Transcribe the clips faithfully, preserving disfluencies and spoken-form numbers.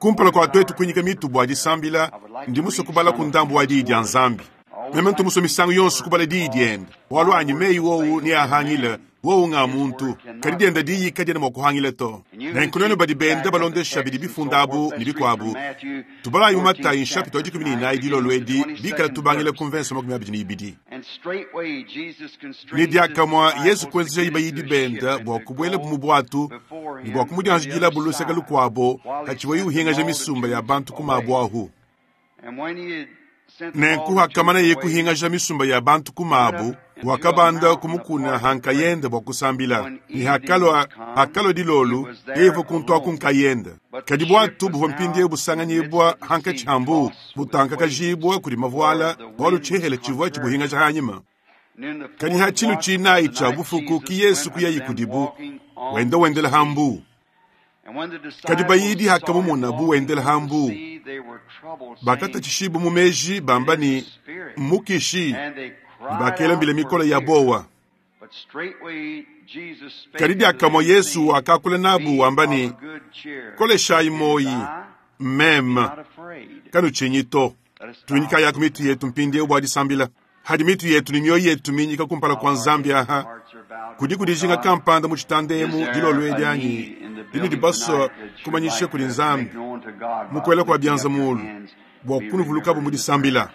Kumpala kua tuetu kuinyika mitu bua disambila, ndi musue kubala ku ndambu wa Diyi dia Nzambi. Meme ntu musue misangu yonso kubala Diyi diende, bualu anyi meyi wowu neahangile, wowu nga muntu, kadi diende diyi kadiena mua kuhangila to. Nenku nuenu badi benda balondesha bidi bifunda abu ne bikuabu, tubalayi mu Matayi nshapita wa dikumi ne inayi dilolo edi, bikala tubangila ku mvensa makumi abidi ne ibidi. Ne diakamue Yezu kuenzejaye bayidi bende bua kubuelabu mu buatu ne bua kumudianjidilabu luseke lukuabo hatshivuaye uhingaja misumba ya bantu ku mabu ahu. Nenku hakamanaye kuhingaja misumba ya bantu ku mabu, wakabanda ku mukuna ha nkayende bua kusambila. Ne hakalua, hakalua dilolo, yeye uvua kuntu aku nkayende. Kadi buatu buvua mpindieu busanganyibua hankatshi ha mbu, butankakajibua kudi mavuala, bualu tshihela tshivua tshibuhingaja hanyima. Kadi ha tshilu tshinayi tshia bufuku ki Yesu kuyayi kudibu, wenda wendela ha mbu. Kadi bayidi hakamumona bu wendela ha mbu, bakatatshishibua mu meji bamba ne, mmukishi, ne bakela mbila mikole ya bowa. Kadi diakamue Yesu wakakula nabu wamba ne, koleshayi moyi, mmeme, kanutshinyi to. Tuinyikayaku mitu yetu mpindieu bua disambila. Hadi mitu yetu ne mioyo yetu minyika kumpala kua Nzambi aha, kudi kudijinga kampanda mu tshitanda emu dilolo edi anyi dinudi basua kumanyisha kudi Nzambi mukuela kua bianza mulu bua kunuvulukabu mu disambila.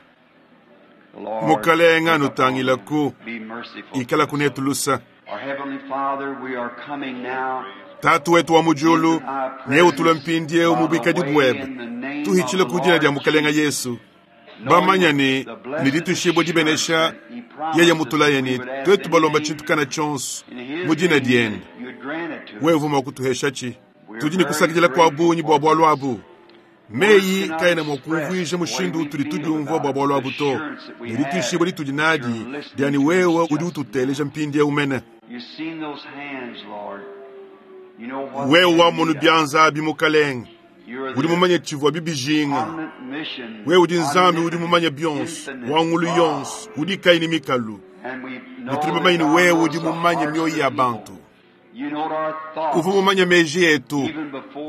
Mukalenga nutangilaku, ikala kunetu lusa. Tatu wetu wa mu diulu, neutulue mpindieu mu buikadi buebe, tuhitshile ku dina dia Mukalenga Yesu. Bamanya ne ne dituishibua dibenesha yeye mutulaye ne tuetu balomba tshintu kana tshionso mu dina diende, wewe uvua mua kutuheshatshi. Tudi ne kusakidila kua bungi bua bualu abu. Meyi kaena mua kumvuija mushindu utudi tudiumvua bua bualu abu to, ne dituishibua ditudi nadi dia ne wewe udi ututeleja mpindieu mene. Wewe wamonu bianza abi Mukalenge, udi mumanye tshivua bibijinga. Wewe udi Nzambi udi mumanye bionso, wa ngulu yonso, udi kayi ne mikalu. Ne tudi bamanye ne wewe udi mumanye mioyo ya bantu. Uvua mumanye meji etu,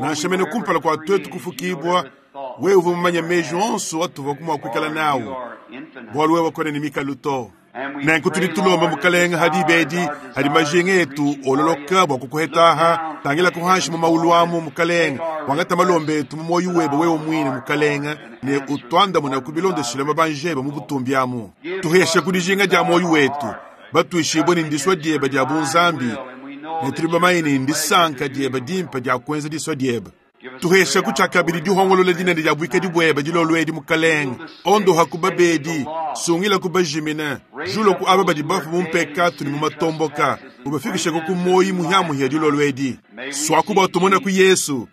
nansha mene kumpala kua tuetu kufukibua, wewe uvua mumanye meji onso atuvua mua kuikala nawu, bualu wewe kuena ne mikalu to. Nenku tudi tulomba Mukalenga hadi bedi hadi majinga etu ololoka bua kukuhetaha, tangila kuhanshi mu maulu amu Mukalenga, wangata malombe etu mu moyo webe wewe mwine Mukalenga, ne utwandamuna kubilondeshile mabanjebe mu butumbi amu. Tuheshe kudijinga dia moyo wetu, batuishibwe ne ndiswa diebe dia bunzambi, ne tudi bamanye ne ndisanka diebe dimpe dia kuenza diswa diebe. Tuheshe kutshiakabidi dihongolola dinene dia buikadi buebe dilolo edi Mukalenga, ondoha ku babedi, sungila ku bajimina, julo ku aba badi bafu mu mpekatu ne mu matomboka, ubafikishe ku moyi muhiamuhia dilolo edi. Swaku bua tumone ku Yesu,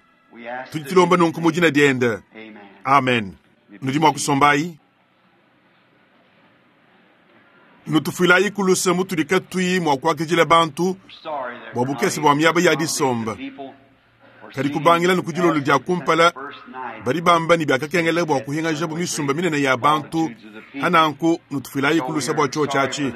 tudi tulomba nunku mu dina diende. Amen. Nudi mua kusombayi. Nutufuilayi kuluse mutudi katuyi mua kuakidila bantu bua bukese bua miaba ya disomba. Kadi kubangila ne ku dilolo dia kumpala, badi bamba ne biakakengela bua kuhingajabu misumba minene ya bantu, hananku nutufuilayi kulusa bua tshiotshi atshi.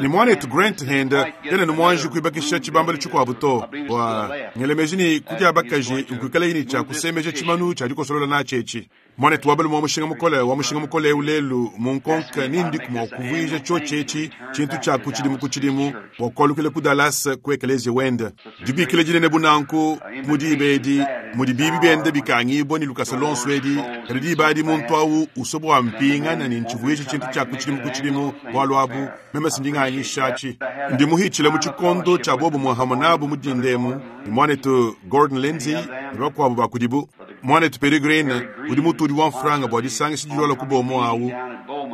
Ne muanetu Grant hende kena ne muanji kuibakisha tshibambalo tshikuabu to, bua ngelemeji ne kudia bakaji nkuikalayi ne tshia kusemeja tshimanu tshia dikosolola natshi etshi. Muanetu wa balume wa mushinga mukole wa mushinga mukole eu lelu mu nkonka nindi mua kuvuija tshiotshi etshi tshintu tshia ku tshidimu ku tshidimu bua kualukila ku Dallas ku ekelezia wende. Dibikila dinene bu nanku mu diba edi mudi bibi biende bikangibua ne lukasa lonso edi, kadi diba adi muntu awu usua bua mpingana ne ntshivuija tshintu tshia ku tshidimu ku tshidimu bualu abu meme sindinganyishatshi. Ndi muhitshile mu tshikondo tshia bobumue hamwe nabu mu dindemu ne muanetu Gordon Lindsay ne bakuabu ba kudibu. Muanetu Peregrine udi mutudi wa mfranga bua disangisha dilola ku bomo awu,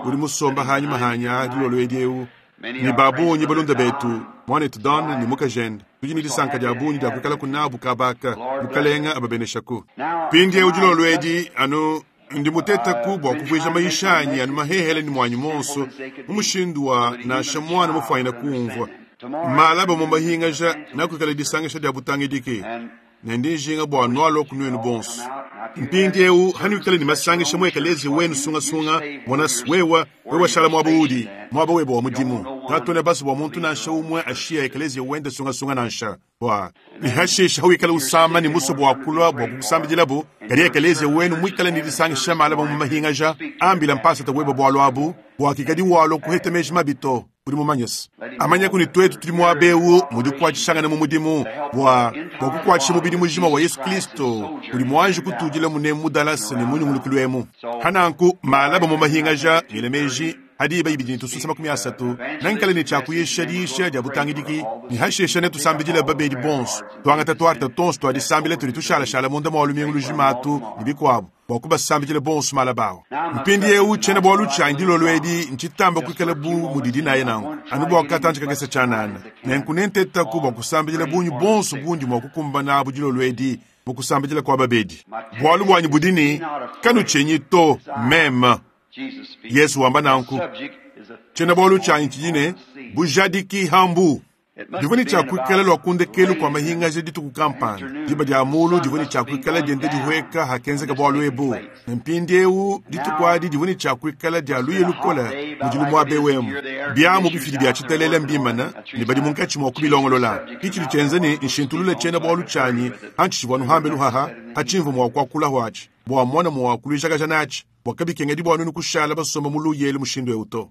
udi musomba hanyima hanya dilolo edi eu ne babunyi balunda betu muanetu Don ne mukajende. Tudi ne disanka dia bungi dia kuikala kunabu kabaka Mukalenga ababeneshaku. Mpindieu dilolo edi anu ndi mutetaku bua kuvuija mayisha anyi anu mahehele ne muanyi monso mu mushindu wa nansha muana mufuanyina kumvua. Malaba mu mahingaja nakuikala disangisha dia butangidiki. Ne ndi njinga bua nualua ku nuenu bonso. Mpindiewu hanuikale ne masangisha mu ekeleziya wenu sungasunga, mona wewa wewa shala muaba udi muaba webe wa mudimu. Katuena basue bua muntu nansha umue ashiya ekeleziya wende sungasunga nansha bua ne hashisha hawikala usama ne musue bua kulua bua kukusambidilabu, kadi ekeleziya wenu muikale ne disangisha malaba mu mahingaja, ambila mpasata webe bualu abu bua kikadi walua kuheta meji mabi to. Udi mumanyese amanyaku ne tuetu tudi muaba ewu mudi kukuatshishangana mu mudimu bua bua kukuatshisha mubidi mujima wa Yesu Kristo udi muanji kutudila mune mu Dallas ne munyungulukilu emu. Hananku malaba mu mahingaja ngele meji hadi iba ibidi ne tususa makumi asatu nankale ne tshia diisha dia butangidiki ne hashesha ne tusambidila babedi bonso tuangata tuarta tonso tuadisambila tudi tushalashala munda mua lumingu lujima atu ne bikuabu bua kubasambidila bonso malabawo. Mpindiewu tshiena bualu tshianyi dilolo edi ntshitamba kuikala bu mudidi naye nanku anu bua katantshi kakese tshianana nenku nentetaku bua kusambidila bungi bonso bundi mua kukumbana abu dilolo edi mu kusambidila kwa babedi. Bualu buanyi budi ne kanutshenyi to meme Yesu wamba nanku tshiena bualu tshianyi tshidi ne bujadiki hambu. Divua ne tshia kuikala lua kundekelu kua mahingaja dituku kampanda diba dia mulu divua ne tshia kuikala dienda dihueka hakenzeka bualu ebu. Ne mpindiewu dituku adi divua ne tshia kuikala dia luye lukole mudi lumuabe wemu biamu bifidi bia tshitelele mbimana ne badi munkatshi mua kubilongolola. Kitshidi tshienza ne nshintulule tshiena bualu tshianyi hantshitshivua nuhambe luhaha hatshimvu mua kuakula hwatshi bua mona mua kuluijakaja natshi bua kabikengedi bua nunu kushala basomba mu luyelu mushindu ewu to.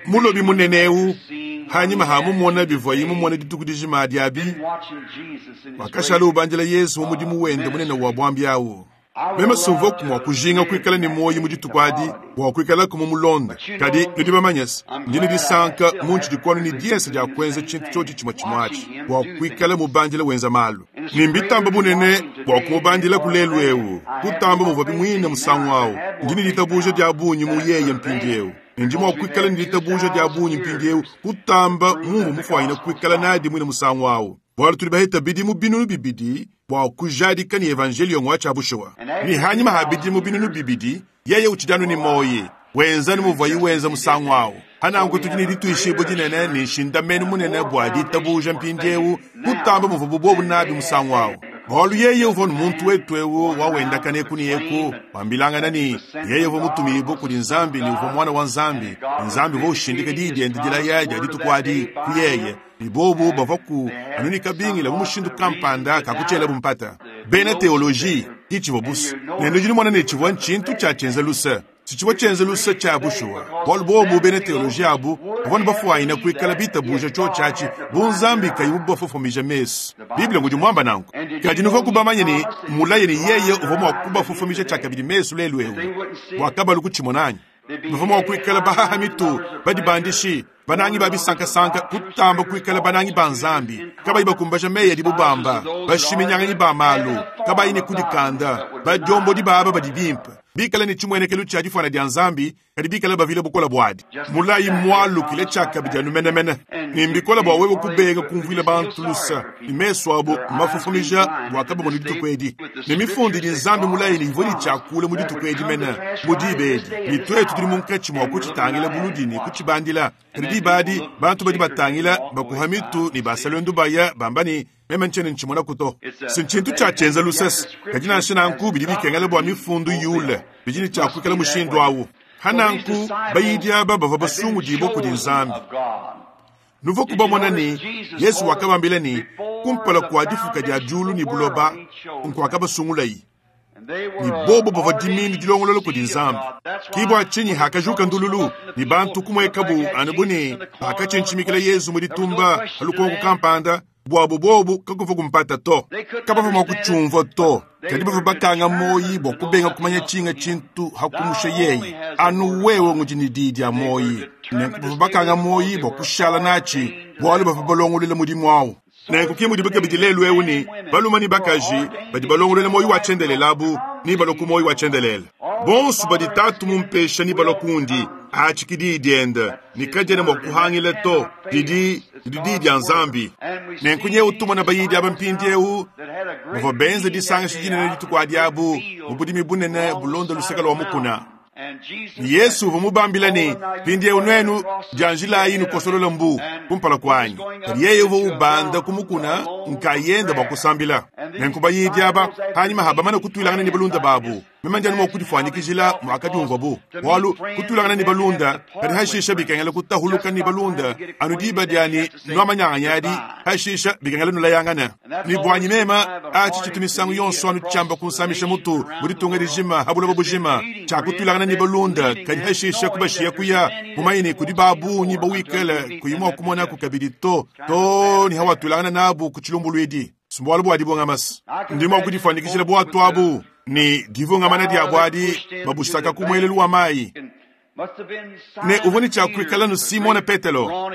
Mulobi munene ewu hanyima hamumona bivuaye mumona dituku dijima diabi wakashala ubandila Yesu mu mudimu wende munene wa bwambi awu. Meme sumvuaku mua kujinga kuikala ne muoyo mu dituku adi bua kuikalaku mu mulonda, kadi nudi bamanyese ndi ne disanka muntshidi kuanu ne diensa dia kuenza tshintu tshiotshi tshimue tshimue atshi bua kuikala mubandila wenza malu. Ne mbitamba bunene bua kumubandila ku lelu ewu kutamba muvua bimuine musangu awu. Ndi ne ditabuja dia bungi mu yeye mpindiewu. Ndi mua kuikala ne ditabuja dia bungi mpindiewu kutamba mumvu mufuanyine kuikala nadi muine musangu awu. Bualu tudi baheta bidimu binunu bibidi bua kujadika ne evanjelio ngwa tshia bushuwa. Ne hanyima ha bidimu binunu bibidi yeye utshidi ne moyi wenza ne muvuaye wenza musangu awu. Hananku tudi ne dituishibua dinene ne nshindamenu munene bua ditabuja mpindiewu kutamba muvua bubobu nabi musangu awu. Bualu yeye uvua muntu wetu ewu wawendakana eku ne eku wambilangana ne yeye uvua mutumibue kudi Nzambi ne uvua mwana wa Nzambi. Nzambi uvua ushindika diyi diende dilaya dia dituku adi ku yeye ne bobu bavua ku anunika bingila mu mushindu kampanda kakutshiela bumpata. Bena teoloji kitshivua busa ne nudi numona ne tshivua ntshintu tshia tshienza lusa. Tshivua tshienza lusa tshia bushuwa. Bualu bobu bena teoloji abu bavua ne bafuanyina kuikala bitabuja tshiotshi bu Nzambi kayi mubafofomija mesu. Biblia ngudi muamba nanku. Kadi nuvua kubamanye ne mulaye ne yeye uvua mua kubafofomija tshiakabidi mesu lelu ewu bua kabalu kutshimona anyi? Bavua mua kuikala bahaha mitu badibandishi banangi ba bisankasanka kutamba kuikala banangi ba Nzambi kabayi bakumbaja meyi adibu bamba bashiminyangani ba malu kabayi ne kudikanda badiombodi baba badi bimpe bikala ne tshimuenekelu tshia difuana dia Nzambi kadi bikala bavile bukola buadi. Mulayi mualukile tshiakabidi anu menemene ne mbikola bua wewe kubenga kumvuila bantu lusa ne mesu abo mafofomija bua kabamona dituku edi. Ne mifundi idi Nzambi mulayi ne ivua ne tshiakula mu dituku edi mene mu diba edi ne tuetu tudi munkatshi mua kutshitangila buludi ne kutshibandila. Kadi diba adi bantu badi batangila bakuha mitu ne basalwendu baya bamba ne meme ntshiena ntshimona kuto. Si ntshintu tshia tshienza lusese kadi nansha nanku bidi bikengela bua mifundu yule bidi ne tshia kuikala mushindu awu. Hananku bayidi aba bavua basungudibua kudi Nzambi. Nuvua kubamona ne Yesu wakabambila ne kumpala kua difuka dia diulu ne buloba nkuakabasungulayi. Ne bobo bavua diminu dilongolola kudi Nzambi. Kibwa tshinyi hakajuka ndululu ne bantu kumuekabu anu bu ne bakatshintshimikila Yesu mu ditumba alukonko kampanda buabu bobu kakuva kumpata to kabavua mua kutshumvua to. Kadi bavua bakanga moyi bua kubenga kumanya tshinga tshintu hakumusha yeye anu wewe ngudi ne diyi dia moyi. Nenku bavua bakanga moyi bua kushala natshi bualu bavua balongolola mudimu awu. Nenku ke mudi kabidi lelu ewu ne balume ne bakaji badi balongolola moyi wa tshiendelele abu ne balua ku moyi wa tshiendelele. Bonso badi tatu mumpesha ne balua kundi atshi diyi diende ne kadiena mua kuhangila to didi didi diyi dia Nzambi. Nenku nyewu tumona bayidi aba mpindiewu bavua benza disangisha dinene dituku adi abu mu budimi bunene bulonda luseke lua mukuna. Yesu uvua mubambila ne, mpindieu nuenu dianjilayi nukosolola mbu kumpala kuanyi. Kadi yeye uvua ubanda ku mukuna nkayenda bua kusambila. Nenku bayidi aba panyima habamana kutuilangana ne balunda babu, meme ndi anu mua kudifuanyikijila muakadiumvua bualu kutuilangana ne balunda kadi hashisha bikengela kutahuluka ne balunda anu diba diani nuamanyanganya adi hashisha bikengela nulayangana ne buanyi mema atshi tshitu misangu yonso anu tshiamba kunsamisha mutu mu ditunga dijima ha buloba bujima tshia kutuilangana ne balunda kadi hashisha kubashiya kuya mumanye ne kudi babunyi bawikele kuyi mua kumonaku kabidi to to ne hawatuilangana nabu ku tshilumbuluidi sumbualu bua dibongamasi ndi mua kudifuanyikijila bwatu abu ni divungamana diabo adi babusaka ku muelelu wa mayi ne uvua ne tshia kuikala nu Simone Petelo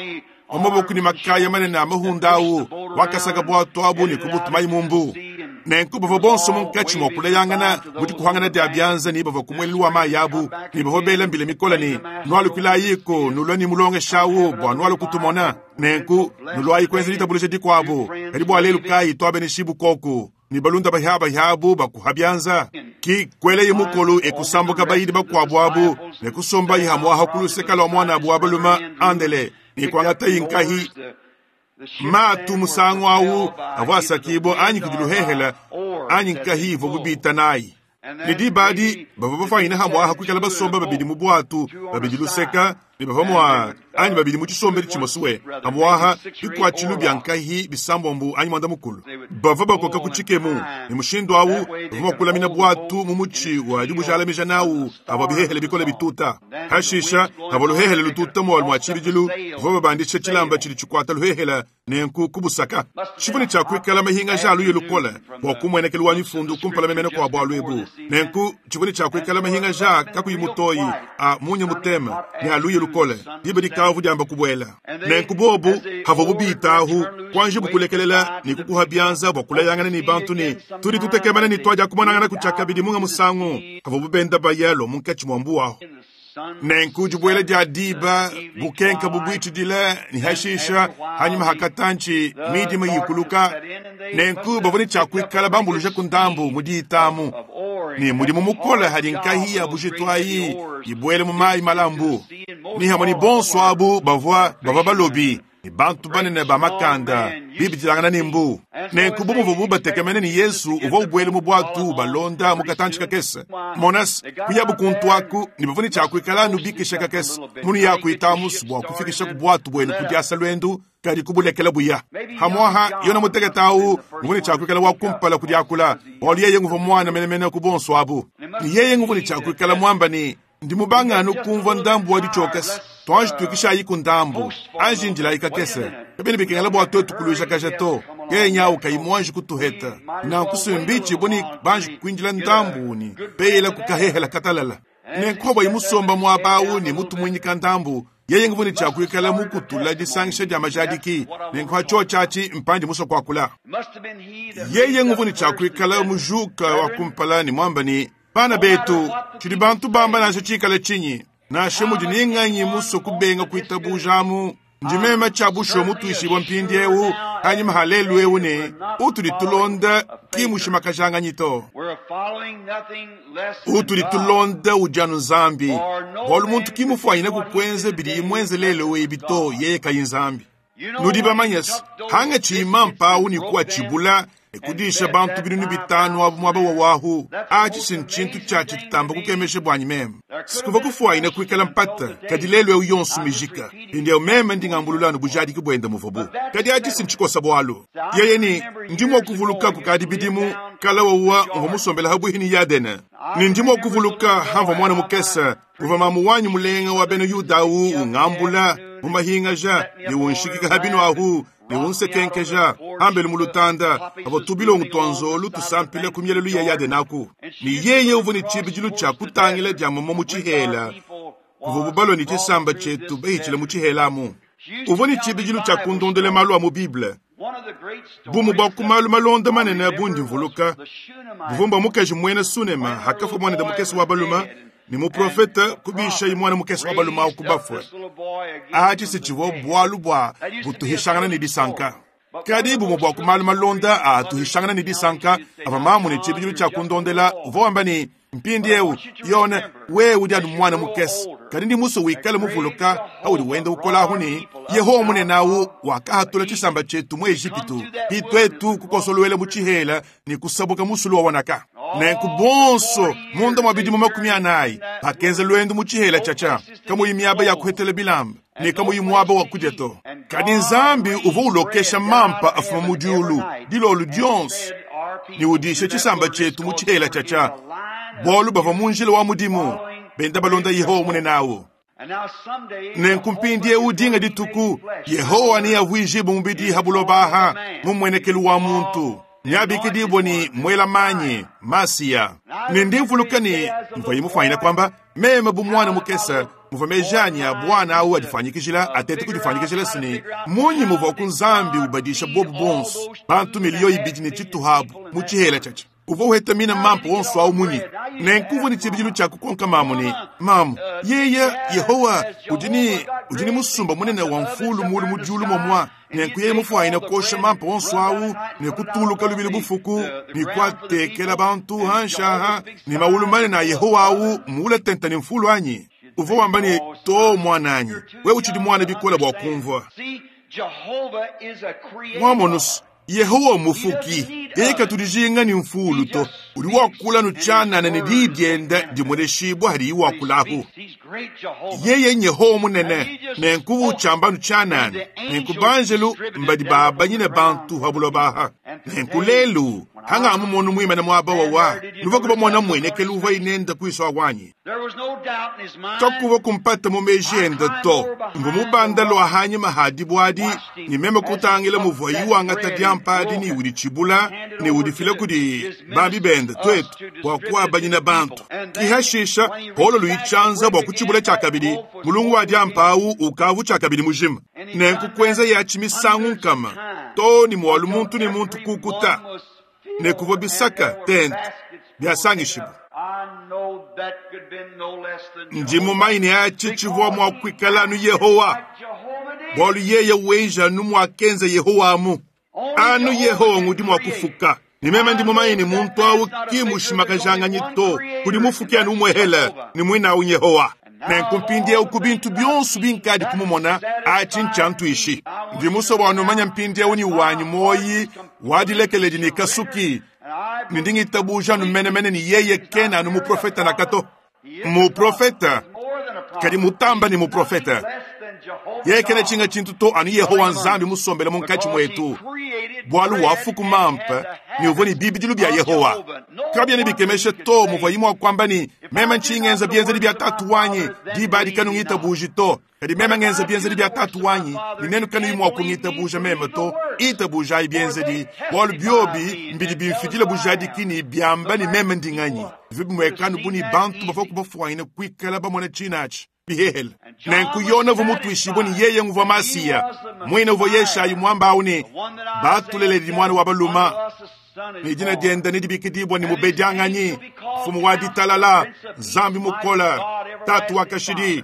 wamaboko ne makaya manene a mahunda awu wakasaka bwatu abu ne kubutumayi mu mbu nenku bavua bonso munkatshi mua kulayangana mu dikuhangana dia bianza ne bavua ku muelelu wa mayi abu ne bavua bela mbila mikola ne nualukilayiko nulua ne mulongesha awu bua nualu kutumona nenku nuluayi kuenza ditabuluja dikuabu kadi bua lelu kayi tuabeneshibu koku ni balunda bahiabahiabu bakuha bianza ki kweleye mukolu ekusambuka bayidi bakuabu abu ne kusombayi hamwaha kuluseka lua mwana abu wa baluma andele ne kuangatayi nkahi matu musangu awu avua asakibua anyi kudi luhehela anyi nkahi ivua bubita nayi ne diba adi bavua bafanyina hamwaha kuikala basomba babidi mu bwatu babidi luseka ne bavua mua anyi babidi mu tshisombedi tshimosuwe hamwaha bikuatshilu bia nkahi bisambombu anyi mwanda mukulu bavua bakoka ku tshikemu ne mushindu awu bavua mua kulamina bwatu mu mutshi wa dibujalamija nawu avua bihehele bikole bituta hashisha avua luhehele lututa mualu mua tshibidilu bavua babandisha tshilamba tshidi tshikuata luhehela nenku kubusaka tshivua ne tshia kuikala mahingaja aluye lukole bua kumuenekelu wa mifundu kumpala memene kua bualu ebu nenku tshivua ne tshia kuikala mahingaja kakuyi mutoyi a munya mutema ne aluye lukole diba dikavu diamba kubuela nenku bobu havua bubitahu kuanji bukulekelela ne kukuha bianza bua kulayangana ne bantu ne tudi tutekemana ne tuadia kumonangana kutshia kabidi munga musangu havua bubenda bayalo munkatshi mua mbu ahu nenku dibuela dia diba bukenka bubuitshidile ne hashisha hanyuma hakatanchi midima yikuluka nenku bavua ne tshia kuikala bambuluja ku ndambu mu diitamu ne mudimu mukole hadi nkahi ya bujitu ayi ibuele mu mayi malambu ni hamwe ni bonso abu bavua bavua balobi ne bantu banene ba makanda bibidilangana ne mbu nenku bu muvua bubatekemene ne Yesu uvua ubuele mu bwatu balonda mu katantshi kakese monas kuyabu kuntu aku ne bavua ne tshia kuikala anu bikisha kakese munu ya kuitamusu bua kufikisha ku bwatu buenu ku diasa luendu kadi kubulekela buya hamwaha yona mutekete awu muvua ne tshia kuikala wa kumpala ku diakula bualu yeye nguvua mwana menemene ku bonso abu ne yeye nguvua ne tshia kuikala muamba ne ndi mubanganu kumvua ndambu wa ditshokese tuanji tuikishayi ku ndambu anji ndilayi kakese kabene bikengela bua tuetu kuluijakaja to kenyawu kayi muanji kutuheta nanku sumbichi buni banji kuindila ndambu uni peyela kukahehela katalala nenku bwa musomba muabawu ne mutu muinyika ndambu yeye nguvua ne tshia kuikala mukutula disangisha dia majadiki nenku hatshio tshiatshi mpandi musua kuakula yeye nguvua ne tshia kuikala mujuka wa kumpala ne muamba ne bana betu tshidi bantu bamba nansha tshikala tshinyi nansha mudi ninganyi musue kubenga kuitabujamu ndi meme tshia bushuwa mutuishibua mpindiewu hanyuma ha lelu ewu ne utudi tulonda ki mushimakajanganyito to utudi tulonda udi anu nzambi bualu muntu ki mufuanyine kukwenza bidi imwenze lelu ebi to yeye kayi nzambi nudi bamanyese hanga tshima mpawu ne kuwa tshibula ekudisha bantu binunu bitanu abu muaba wa wahu atshi si ntshintu tshiatshi tshitamba kukemesha buanyi meme sikuva kufuanyina kuikala mpata kadi lelu ewu yonso mijika mpindieu meme ndingambulula anu bujadiki buenda muvubu kadi atshi si ntshikosa bualu yeye ni ndi mua kuvuluka kukadi bidimu kala wawa mvua musombela habuhi ni yadene ni ndi mua kuvuluka hamvua mwana mukese uva mamu wanyi mulenga wa bena yuda awu ungambula mu mahingaja ne unshikika habinu ahu ne unsekenkeja hambelu mu lutanda avo tubilongo tua nzolu tusampile ku mielelu ya yadenaku ni yeye uvua ne tshibidilu tshia kutangila dia mama mu tshihela kuvua bubalua ne tshisamba tshietu bahitshile mu tshihelamu uvua ne tshibidilu tshia kundondela malu a mu Bible bumu bua ku malu malonda manene bundi mvuluka buvua mbua mukaji muena Sunema hakafua mwana mukese wa baluma ni muprofeta kubisha mwana mukese wa baluma awu kubafue atshi si tshivua bualu bua butuhishangana ne disanka kadi bumue bua ku malu malonda a tuhishangana ne disanka ava mamu ne tshibidilu tshia kundondela uvua wamba ne Mpindiewu Yone, wewe udi anu mwana mukese, kadi ndi musue wikale muvuluka paudi wenda ukola ne Yehowa munene awu wakahatula tshisamba tshietu mu Ejipitu, pitwetu kukosolwela mu tshihela ne kusabuka musulu wa wanaka. Nenku bonso munda mwa bidimu makumi anayi bakenza lwendo mu tshihela tshatsha, kamuyi miaba ya kuhetela bilamba ne kamuyi muaba wa kudya to. Kadi Nzambi uvua ulokesha mampa afuma mu diulu dilolo dionso ne udisha tshisamba tshietu mu tshihela tshatsha, bualu bavua mu njila wa mudimu benda balonda Yehowa munene awu. Nenku mpindiewu dinga dituku Yehowa neavuijibwe mubidi ha buloba mu mmuenekelu wa muntu, neabikidibwe ni mwela manyi Masiya. Ne ndi mvuluka ne mvua mufanyina kwamba meme bu mwana mukese muvua meji anyi a bwana awu adifanyikijila atete kudifanyikijila sine munyi muvua ku Nzambi ubadisha bobu bonso bantu miliyo ibidi ne tshituhabu mu tshihela tshatsha. Uvua uheta mina mampa wonso awu munyi? Nenku uvua ne tshibidilu tshia kukonka mamu ne mamu yeye Yehowa udi ni udi ni musumba munene wa mfulu mulu mu diulu momwa. Nenku yeye mufwanyina kosha mampa wonso awu ne kutuluka lubili bufuku ne kuatekela bantu hanshaha ne mawulu manene a Yehowa awu muula tenta ne mfulu anyi. Uvua wamba ne to mwananyi, wewe utshidi mwana bikola bua kumvua. Mwamonusu Yehowa mufuki, yeye katudijinga ni mfulu to, udi wakula nutshanana ne didienda dimweleshibwa hadi iwakulahu. Yeye Yehowa munene, nenku uchamba nutshanana, nenku banjelu mbadi babanyine bantu ha buloba. Nenku lelu hanga mumonu mwimene mwaba wawa, nuva kuba mwana mwenekelu uva inenda kuiswa wanyi. Tokuva kumpata mu meji enda to, mvu mubanda lwa hanyuma hadi bwadi, ni meme kutangila muvua iwangata diampa ni udi tshibula ne udi fila kudi bambi benda twetu bua kuabanyina bantu. Kihashisha polo luichanza bua kutshibula tshakabidi, mulungu wa diampa awu ukavu tshakabidi mujima. Nenku kuenza yachi misangu nkama to ni mwalu muntu ni muntu kukuta ne kuvua bisaka tente biasangishibu. Ndi mumaine achi tshivua mua kuikala anu Yehowa, bualu yeye wenja anu muakenza Yehowa amu. Anu Yehowa ngudi mua kufuka. Ni meme ndi mumaine muntu awu ki mushimakajanganye to, kudi mufuki anu umwehele ni mwina awu Yehowa. Nenku mpindiewu ku bintu byonso binkadi kumumona achi nchantuishi. Ndi musue bua numanya mpindiewu ni wanyi moyi wadilekeledi ni kasuki, ni ndi ngitabuja anu menemene ni yeye kena anu muprofeta na kato. Muprofeta kadi mutamba ni muprofeta. Yeye kena tshinga tshintu to anu Yehowa Nzambi musombele munkatshi mwetu, bualu wafuku mampa ni uvua ni bibidilu bya Yehowa. Kabyene bikemesha to muvua imua kwamba ni meme nchingenza bienzedi bya tatu wanyi diba kanu ngitabuji to, kadi meme ngenza bienzedi bya tatu wanyi ni nenu kanu imua kungitabuja meme to, itabuja bienzedi bualu byobi mbidi bimfidila bujadiki ni byamba ni meme ndinganyi. Vibimwekanu buni bantu bavua kubafuanyina kuikala bamona tshinachi bihehele. Nenku Yona uvua mutuishibwe ni yeye nguvua Masiya, mwine uvua Yeshayi mwamba awu ni batuleledi mwana wa baluma, ni dina dienda ni dibikidibwa ni mubedianganyi, mfumu wa ditalala, Nzambi mukola, tatu wa kashidi.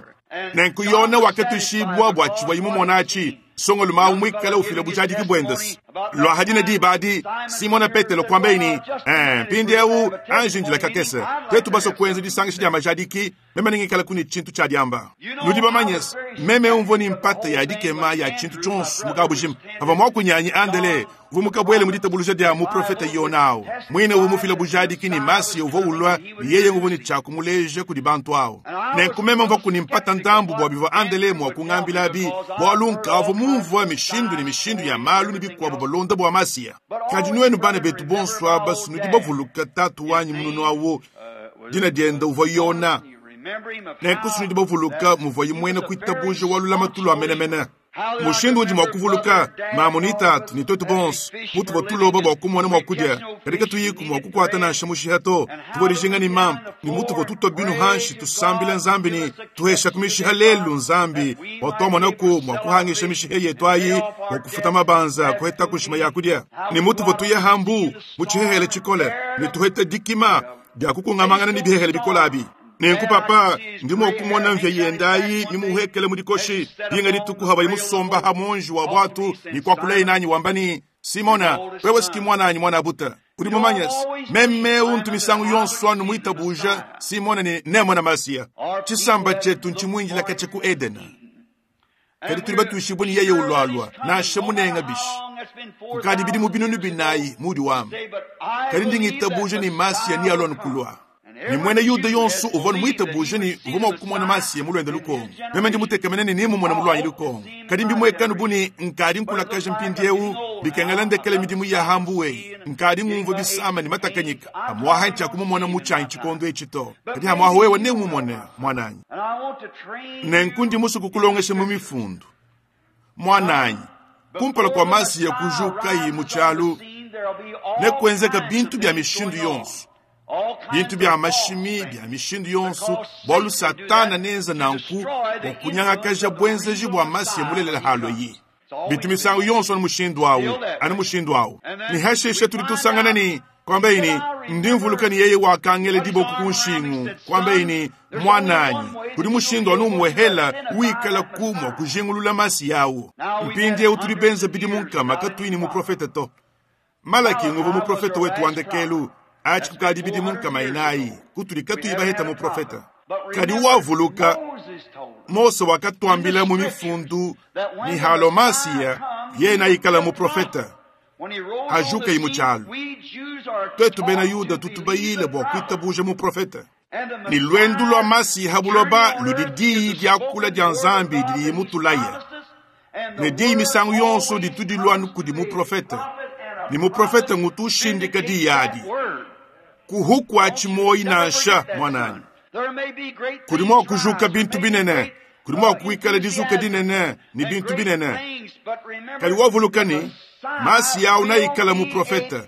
Nenku Yona wakatuishibwa bua tshivua imumonachi, songo lumawu mwikala ufila bujadiki bwendesi. Lwa hadina dibadi Simona Petelo kwambeini, eh, mpindiewu anjindila kakese tetu baso kuenza disangisha dia majadiki meme ningikala kuni tshintu tshia diamba. Nudi bamanyese meme umvua ni mpata ya dikema ya tshintu tshonso mukabujima. Pavua mwakunyanyi Andele uvua mukabwele mu ditabuluja dia muprofeta Yona awu, mwine uvua mufila bujadiki ni Masiya uvua ulwa ni yeye nguvua ni tshia kumuleja kudi bantu awu. Nenku meme mvua kuni mpata ndambu bua bivua Andele mua kungambila bi, bualu nkavua mumvua mishindu ni mishindu ya malu ni bikuabu balonda bua Masiya. Kadi nuenu bana betu bonso aba sunudi bavuluka tatu wanyi mununu awu, dina dienda uvua Yona. Nenku sunudi bavuluka muvua imwena kuitabuja walulama tulu menemene. Mushindu udi mua kuvuluka mamu ni tatu ni twetu bonso mutu batuloba bua kumona mua kudia, kadi katuyiku mua kukuata nansha mushiha to. Tuvua dijinga ni mampa ni mutu botutwa binu hanshi tusambila Nzambi ni tuhesha kumishiha lelu Nzambi watuamonaku mua kuhangisha mishiha yetu ayi mua kufuta mabanza kuheta kushima ya kudia ni mutu botuya hambu muchihehele chikole ni tuheta dikima dia kukungamangana ni bihehele bikolabi. Nenku papa ndimo kumona mvya yendayi nimuhekele mudikoshi dinga dituku haba imusomba hamonji wa bwatu ni kwakulei nanyi wambani Simona wewe siki mwana anyi mwana buta Udi mumanye meme untu misangu yonso anu muitabuja Simona ne nemona Masiya. Tshisamba tshetu ntshimwinjila katshia ku Edena. Kadi tuli batuishibwe ni yeye ulwalwa nansha munenga bishi. Kukadi bidimu binunu binayi mudi wamba. Kadi ndi ngitabuja ni Masiya ni alwa nukulwa. Ni mwene Yuda yonso uvua muitabuje ni uvua mua kumona Masiya mulwende lukongo. Meme ndi mutekemene ni nimumona mulwanyi lukongo. Kadi mbimwekanu buni nkadi nkulakaja mpindiewu bikengela ndekele midimu ya hambuwe. Nkadi ngumva bisama ni matakanyika. Amwaha ntshakumumona mutshanyi tshikondo etshi to. Kadi hamwaha wewe neumumone mwananyi. Nenku ndi musu kukulongesha mu mifundu. Mwananyi, kumpala kwa Masiya kujukayi mu tshialu, nekwenzeka bintu bya mishindu yonso. Bintu bya mashimi bya mishindu yonso bwalu Satana nenza nanku bwa kunyangakaja bwenzeji bwa Masiya mulelela halo yi. Bintu misangu yonso anu mushindu awu, anu mushindu awu. Ni hasheshe tuli tusangana ni kwamba ini ndi mvuluka ni yeye wakangele diboko ku nshingu kwamba ini mwananyi kuli mushindu anu umwehela wikala kumwa kujingulula Masiya awu. Mpindiewu tuli benza bidi munkama katuini muprofeta to. Malaki nguvu muprofeta wetu wandekelu achi kukadi bidi munkama inayi kutuli katuyi baheta muprofeta. Kadi wavuluka Mose wakatwambila mu mifundu ni halo Masiya yena ikala muprofeta. Ajuka imu tshialu. Twetu bena Yuda tutubayile bwa kuitabuja muprofeta. Ni lwendu lwa Masiya habuloba ludi diyi diakula dia Nzambi didi mutulaya. Ne diyi misangu yonso ditudi lwanu kudi muprofeta. Ni muprofeta ngutu ushindika diyi adi. Kuhuku atshimoyi nansha mwananyi. Kudi mua kujuka bintu binene, kudi mua kuikala dizuka dinene ni bintu binene. Kadi wavuluka ni Masiya awu naikala muprofeta.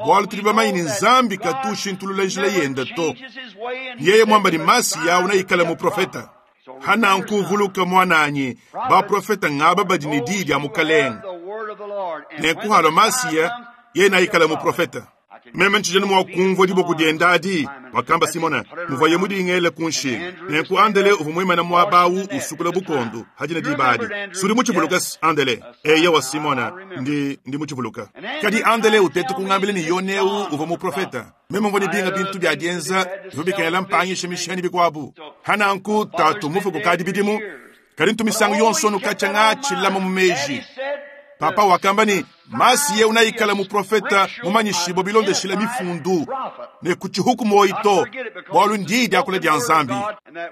Bwalu tuli bamanyi ni Nzambi katu ushintulula njila yenda to. Yeye mwamba ni Masiya awu naikala muprofeta. Hana nkuvuluka mwananyi, baprofeta ngaba badi ni diyi dia mukalenge. Nenku Masiya yeye naikala muprofeta. Meme ntshijana mua kumvua diboko dienda adi, wakamba Simona, muvaye mudingele ku nshingu. Nenku Andele uvua muimana muaba awu usukula bukondo hadina diba adi. Sudi mutshivuluka Andele. Eya wa Simona, ndi ndi mutshivuluka. Kadi Andele utetu kungambile ni Yoneu uvua muprofeta. Meme mvua ni binga bintu bya dienza, bivua bikengela mpangisha mishani bikuabu. Hananku tatu mufu kukadi bidimu, kadi ntumisangu yonso nukatshanga tshilama mu meji. Papa wakamba ni Masiya unaikala muprofeta mumanyishibo bilondeshila mifundu ne kutshihuku moyi to bwalu ndi diakula dia Nzambi.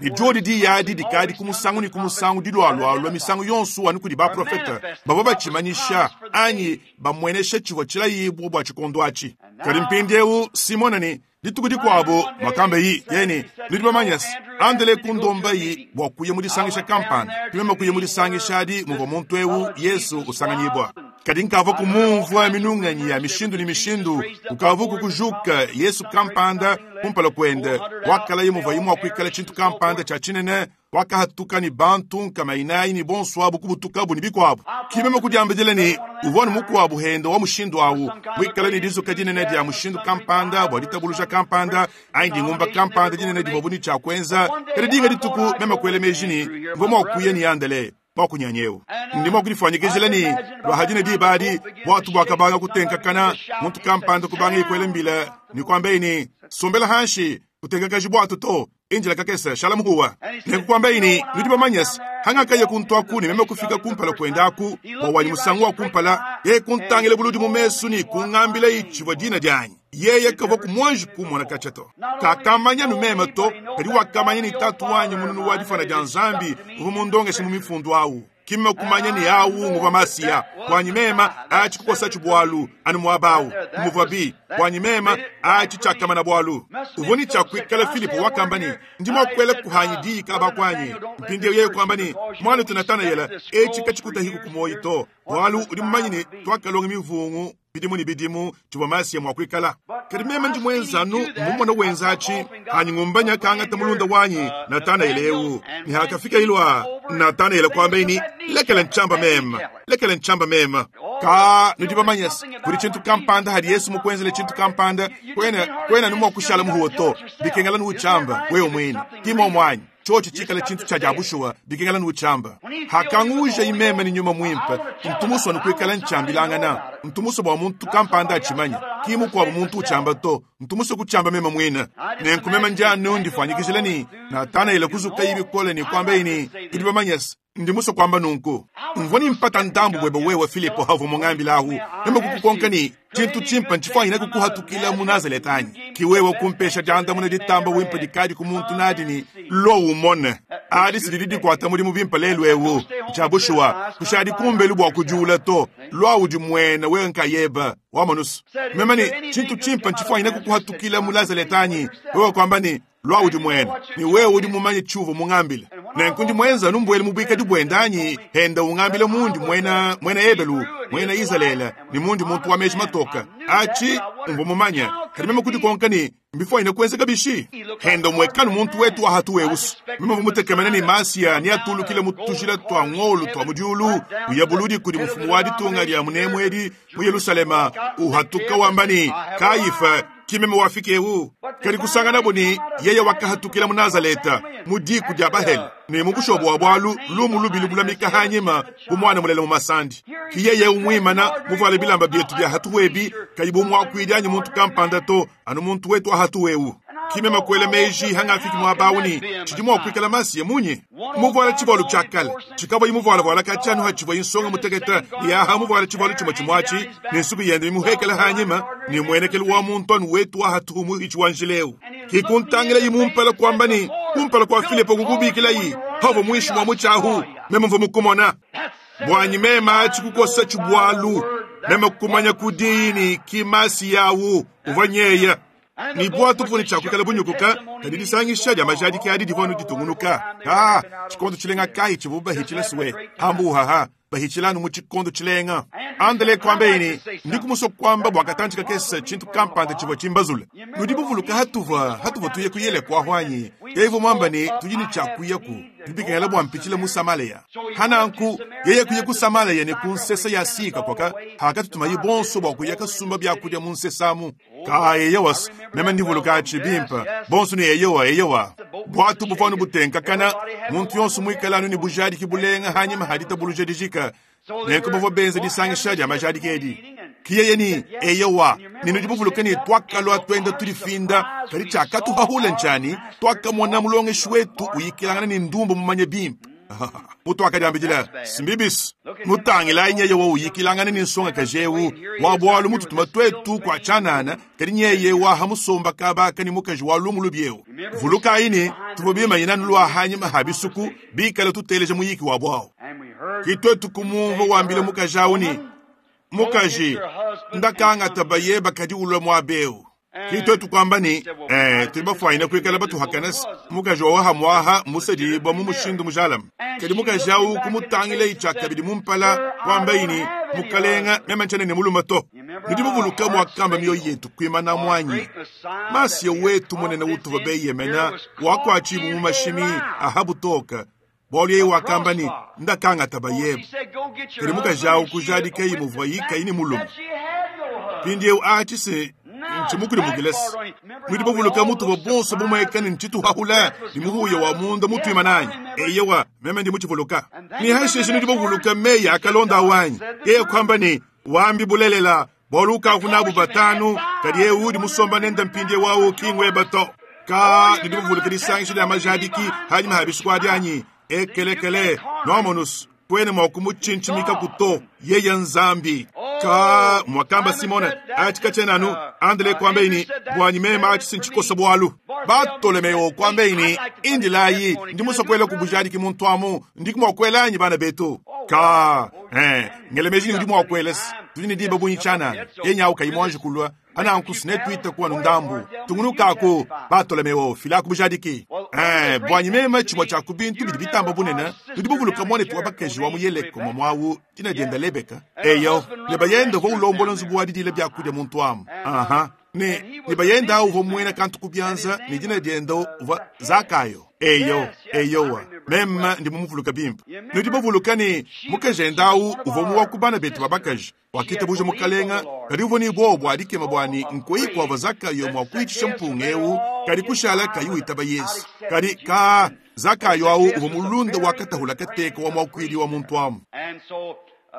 Ni diodi diyadi dikadi ku musangu ni ku musangu dilwalwalwa misangu yonso anu kudi baprofeta bavua batshimanyisha anyi bamwenesha tshivua tshilayibwa bua tshikondo atshi. Kadi mpindiewu Simona ni dituku dikuabu makamba yi yeni nudi bamanyasi Andele kundomba yi bua kuya mu disangisha kampanda. Tumema kuya mu disangisha adi muvua muntu ewu Yesu usanganyibwa. Kadi nkava kumumvua minunganyi ya mishindu ni mishindu, ukava kukujuka Yesu kampanda kumpala kwende, wakala yemuva yimu akuikala tshintu kampanda tshia tshinene, wakahatuka ni bantu nkama inayi ni bonso abu kubutukabu ni bikuabu. Kimema kudiambidila ni uvua ni mukuabu henda wa mushindu awu, wikala ni dizuka dinene dia mushindu kampanda bua ditabuluja kampanda, anyi dingumba kampanda dinene divua ni tshia kuenza. Kadi dinga dituku mema kuele meji ni mvua mua kuya ni Andele mwakunyanyewu. Ndi mwakudifanyikizila ni lwahadina diba adi bwatu bwakabanga kutenkakana muntu kampanda kubanga ikwele mbila ni kwamba ini sombela hanshi kutenkakaji bwatu to injila kakesa shala muhuwa. Nekukwamba ini nudi bamanyasi hangakaya kuntwaku ni meme kufika kumpala kwendaku bwa wanyi musangu wa kumpala ye kuntangile buludi mu mesu ni kungambila itshivua dina dyanyi. Yeye kavua kumwanji kumona katshia to. Kakamanya numeme to, kadi wakamanya ni tatu wanyi mununu wa difana dia Nzambi uvua mundongeshe mu mifundu awu. Kimma kumanya ni awu nguva Masiya bwanyi mema achi kukosa tshibwalu anu muabawu muvua bi bwanyi mema achi tshakamana bwalu. Uvua ni tshakuikala Filipo wakamba ni ndi mwakuela kuhanyi diyi kaba kwanyi. Mpindiewu yeye kwamba ni mwana tu Natanayela etshi katshikutahiku kumoyi to bwalu udi mumanyi ni twakalonga mivungu bidimu ni bidimu tshivua Masiya mwakuikala. Kadi meme ndi mwenzanu mumona wenzatshi hanyi ngumbanya kangata mulunda wanyi Natanayela ewu. Ni hakafika ilwa Natanayela kwamba ini lekela nchamba mema, lekela nchamba mema. Ka nudi bamanyasi kuli tshintu kampanda hadi Yesu mukwenzele tshintu kampanda kwena kwena numwa kushala muhuwo to bikengela nuuchamba wewe mwini kimo mwanyi chochi chikala chintu cha jabushuwa bikengela nuuchamba. Hakanguja imeme ni nyuma mwimpe ntumuso nukuikala nchambilangana ntumuso bwa muntu kampanda achimanya Ki mukuabo muntu utshiamba to, ntu musue kutshiamba meme muine. Nenku meme ndi anu ndifuanyikijila ne Natanaele kuzukayi bikole ne kuambaye ne, tudi bamanye se, ndi musue kuamba nunku. Mvua ne mpata ndambu buebe wewe Filipo havua mungambila ahu. Meme kukukonka ne, tshintu tshimpe ntshifuanyine kukuhatukila mu Nazareta anyi? Ki wewe kumpesha diandamuna ditamba wimpe dikadi ku muntu nadi ne, lo umone. Adi si didi dikuata mudimu bimpe lelu ewu. Tshia bushuwa, kushadi kumbelu bua kudiula to. Lua udi muena wewe nkayeba wa manusu. Meme ne, tshintu tshimpe ntshifuanyine kukuhatukila mu Nazareta anyi? Wewe kuamba ne, lua udi muena, ne wewe udi mumanye tshiuvua mungambile. Nenku ndi mwenza numbuele mu buikadi buende anyi, henda ungambile mundi muena, muena Ebelu, muena Izalele, ne mundi muntu wa meji matoka. Achi mvua mumanye, kadi meme kudikonka ne, mbifuanyine kuenzeka bishi? Henda mwekanu muntu wetu wa hatu weusu. Meme mvua mutekemene ne Masiya ne atulukile mu tujila twa ngolu twa mu diulu, uya buludi kudi mufumu wa ditunga dia munemu edi mu Yerusalema, uhatuka wamba ne, Kayifa, ki meme wafika ewu. Kadi kusangana ne yeye wakahatukila mu Nazareta, mu diku dia Bahele, ne mu bushobo wa bwalu lumu lubi lubulamika hanyima bu mwana mulele mu masandi. Ki yeye umwimana muvuale bilamba bietu bia hatu webi, kayi bu mwakuidi anyi muntu kampanda to, anu muntu wetu wa hatu wewu. Ki meme kuela meji hangafiki muaba awu ne, tshidi mua kuikala Masiya munyi? Muvuale tshivualu tshia kale, tshikavua muvualavuala katshianu hatshivua insonga mutekete, ne aha muvuale tshivualu tshimue tshimuatshi, ne nsuku yende mimuhekele hanyima, ne muenekelu wa muntu anu wetu wa hatuhu muhitshi wa njileu. Ki kuntangila mumpala kuamba ne, kumpala kua Filipo kukubikilayi, havua muinshi mua mutshiahu, meme mvua mukumona. Bwanyi meme atshi kukosa tshibualu, meme kumanya kudini ki Masiya awu uvua nyeya. Ni bwatu buvua ne tshiakuikala bunyukuka, kadi disangisha dia majadiki adi divua anu ditungunuka. Ah, tshikondo tshilenga kayi tshivua bahitshila suwe, hambuhaha, bahitshila anu mu tshikondo tshilenga. Andele kuamba ne, ndi kumusua kuamba bua katantshi kakese tshintu kampanda tshivua tshimbazule. Nudi buvuluka hatuvua, hatuvua tuye kuyele kwa hwanyi. Yeye mwamba ne, tudi ne tshiakuyaku, tubikengela bua mpitshile mu Samaria. Hananku, yeye kuye ku Samaria ne ku nsesa ya sika kwaka, hakatutumayi bonso bua kuya kasumba byakudia mu nsesamu. Ka eyewa, meme ndivuluka atshi bimpe, bonso ne eyewa eyewa. Bwatu buvua anu butenkakana, muntu yonso muikale anu ne bujadiki bulenga hanyima haditabuluja dijika. Nenku bavua benza disangisha dia majadiki edi. Ki yeye ni eyewa, ne nudi buvuluka ne twakalua twenda tudifinda, kadi tshiakatuhahula ntshani, twakamona mulongeshi wetu uyikilangana ne ndumbu mumanye bimpe. Mutu akadiambidila, simbibisi, mutangilayi nyeye wa uyikilangana ne nsongakaji ewu, wa bwalu mututuma twetu kwa tshianana, kadi nyeye waha musomba kabaka ne mukaji wa lumu lubi ewu. Vulukayi ne, tuvua bimanyina nulua hanyima ha bisuku, bikale tuteleja muyiki wa bwawu. Ki twetu kumumva wambile mukaji awu ne, mukaji, ndakangata baye bakadi ulua muabewu. Ki twetu kuamba ne, eh, tudi bafuanyine kuikala batuhakanasi, mukaji wa wahamwaha musadibwa mu mushindu mujalama. Kadi mukaji awu kumutangila itshakabidi mumpala, kuamba ini, mukalenga meme ntshiena ne mulume to. Nudi muvuluka muakamba mioyo yetu kuimana muanyi. Masiya wetu munene utuvua beyemena, wakuatshibu mu mashimi ahabutoka. Bwalu yeye wakamba ne, ndakangata bayeba. Kadi mukaji awu kujadikayi muvua yikayi ne mulume. Mpindiewu atshi se ntshimukulimukilesi. Nudi bavuluka mutuvua bonso bumueka ne ntshituhahula ne muhuya wa munda mutuima nanyi. Eyewa, meme ndi mutshivuluka. Ne hashishe nudi bavuluka meyi akalonda awanyi. Yeye kuamba ne, wambi bulelela, bwalu ukavu nabu batanu, kadi ewu udi musomba nenda mpindiewu awu kingweba to. Ka nudi bavuluka disangisha dia majadiki hanyima ha bisuku adi anyi. Ekelekele, noamonus, kwene mwa kumutshintshimika kuto, yeye nzambi. Ka mwakamba Simone, achi kachenanu, andele kuamba ini, bwanyi mema achi sinchikosa bwalu. Bartolomeo kuamba ini, indilayi, ndi musokwela kubujadiki muntu amu, ndi kumwakwela anyi bana betu. Ka, eh, ngelemeji ndi mwakwelesi, tudi ne diba bunyi tshianana, yenyawu kayi mwanji kulua, ananku sinetuita kuwa ndambu. Tungunukaku, Bartolomeo, fila kubujadiki. Eh, bwanyi mema tshimue tshia ku bintu bidi bitamba bunene, tudi buvuluka mwanetu wa bakaji wa mu Yeleko mamwawu, dina dienda Lebeka. Eyo, ne bayenda uvua ulombola nzubu wa didila byakudia muntu amu. Aha. Ne, ne bayenda awu uvua muena kantu ku bianza, ne dina dienda uvua Zakayo. Eyo, eyowa, meme ndi mumuvuluka bimpe. Nudi bavuluka ne, mukaji enda awu uvua mu wa ku bana betu ba bakaji, wakitabuja mukalenga, kadi uvua ne buowa bua dikema bua ne nkoyi kuavua Zakayo mua kuitshisha mpunga ewu, kadi kushala kayi witaba Yesu. Kadi ka Zakayo awu uvua mulunda wa katahula kateka wa muakuidi wa muntu amu.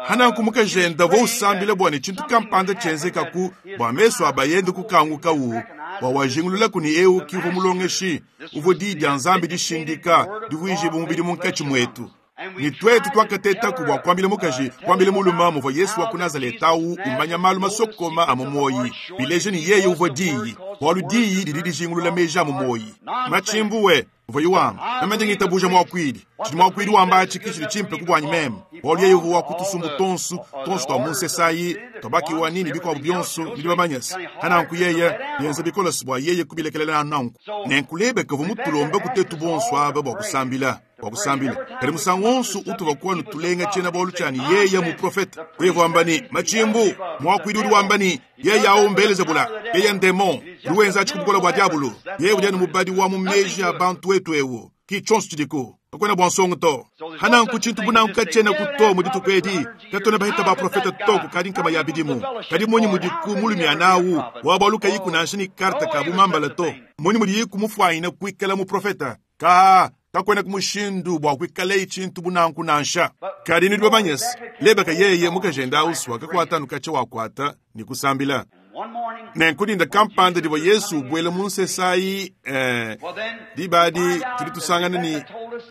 Hananku mukajenda uvua usambila bua ne tshintu kampanda tshienzekaku bua mesu a bayende kukangukawu bua wajingululaku ne eu ki uvua mulongeshi uvua diyi dia Nzambi dishindika divuijibua mubidi munkatshi muetu. Ni twetu twakatetaku bua kuambila mukaji kuambila muluma muvua Yesu wa ku Nazaleta awu umanya malu masokoma a mu muoyi bileje ni yeye uvua diyi bualu diyi didi dijingulula meji a mu muoyi machimbuwe uvua yiwamba meme ndi ngitabuja muakuidi tshidi muakuidi wamba atshi ki tshidi tshimpe ku buanyi meme bualu yeye uvua wa kutusumbu tonsu tonsu tua munsesayi tuabakiwa nini bikuabu bionso bidi bamanyasa hananku yeye bienza bikolosi bua yeye kubilekelela nanku nenkulebeka uvua mutulombe kutetu bonso aba bua kusambila bua kusambila kadi musangu wonso utuva kuwa tulenga tshiena bualu tshiani yeye muprofeta uye kuamba ni machimbu muakuidi udi wamba ni yeye awo mbelezebula yeye ndemon udi wenza atshi ku bukola bua diabulu yeye udi anu mubadi wa mu meji a bantu wetu ewu ki tshionso tshidiku kakwena bua nsongo to hananku tshintu bunanku katshiena ku mu dituku edi katona bahita baprofeta to kukadi nkama ya bidimu kadi munyi mudiku mulumiana awu wa bualu kayiku nansha ni karte ka bumambala to munyi mudiyiku mufuanyina kuikala muprofeta ka kakwena kumushindu bua kuikala tshintu bunanku nansha kadi nudi bamanyese lebeka yeye mukajenda ausu wakakuata nukatsha wakuata ni kusambila nenkudinda kampanda divua Yesu ubuela mu nsesayi eh, dibadi tudi tusangana ni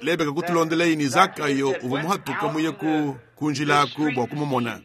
lebeka kutulondelayi ni Zakayo uvua muhatuka muye ku kunjilaku bua kumumona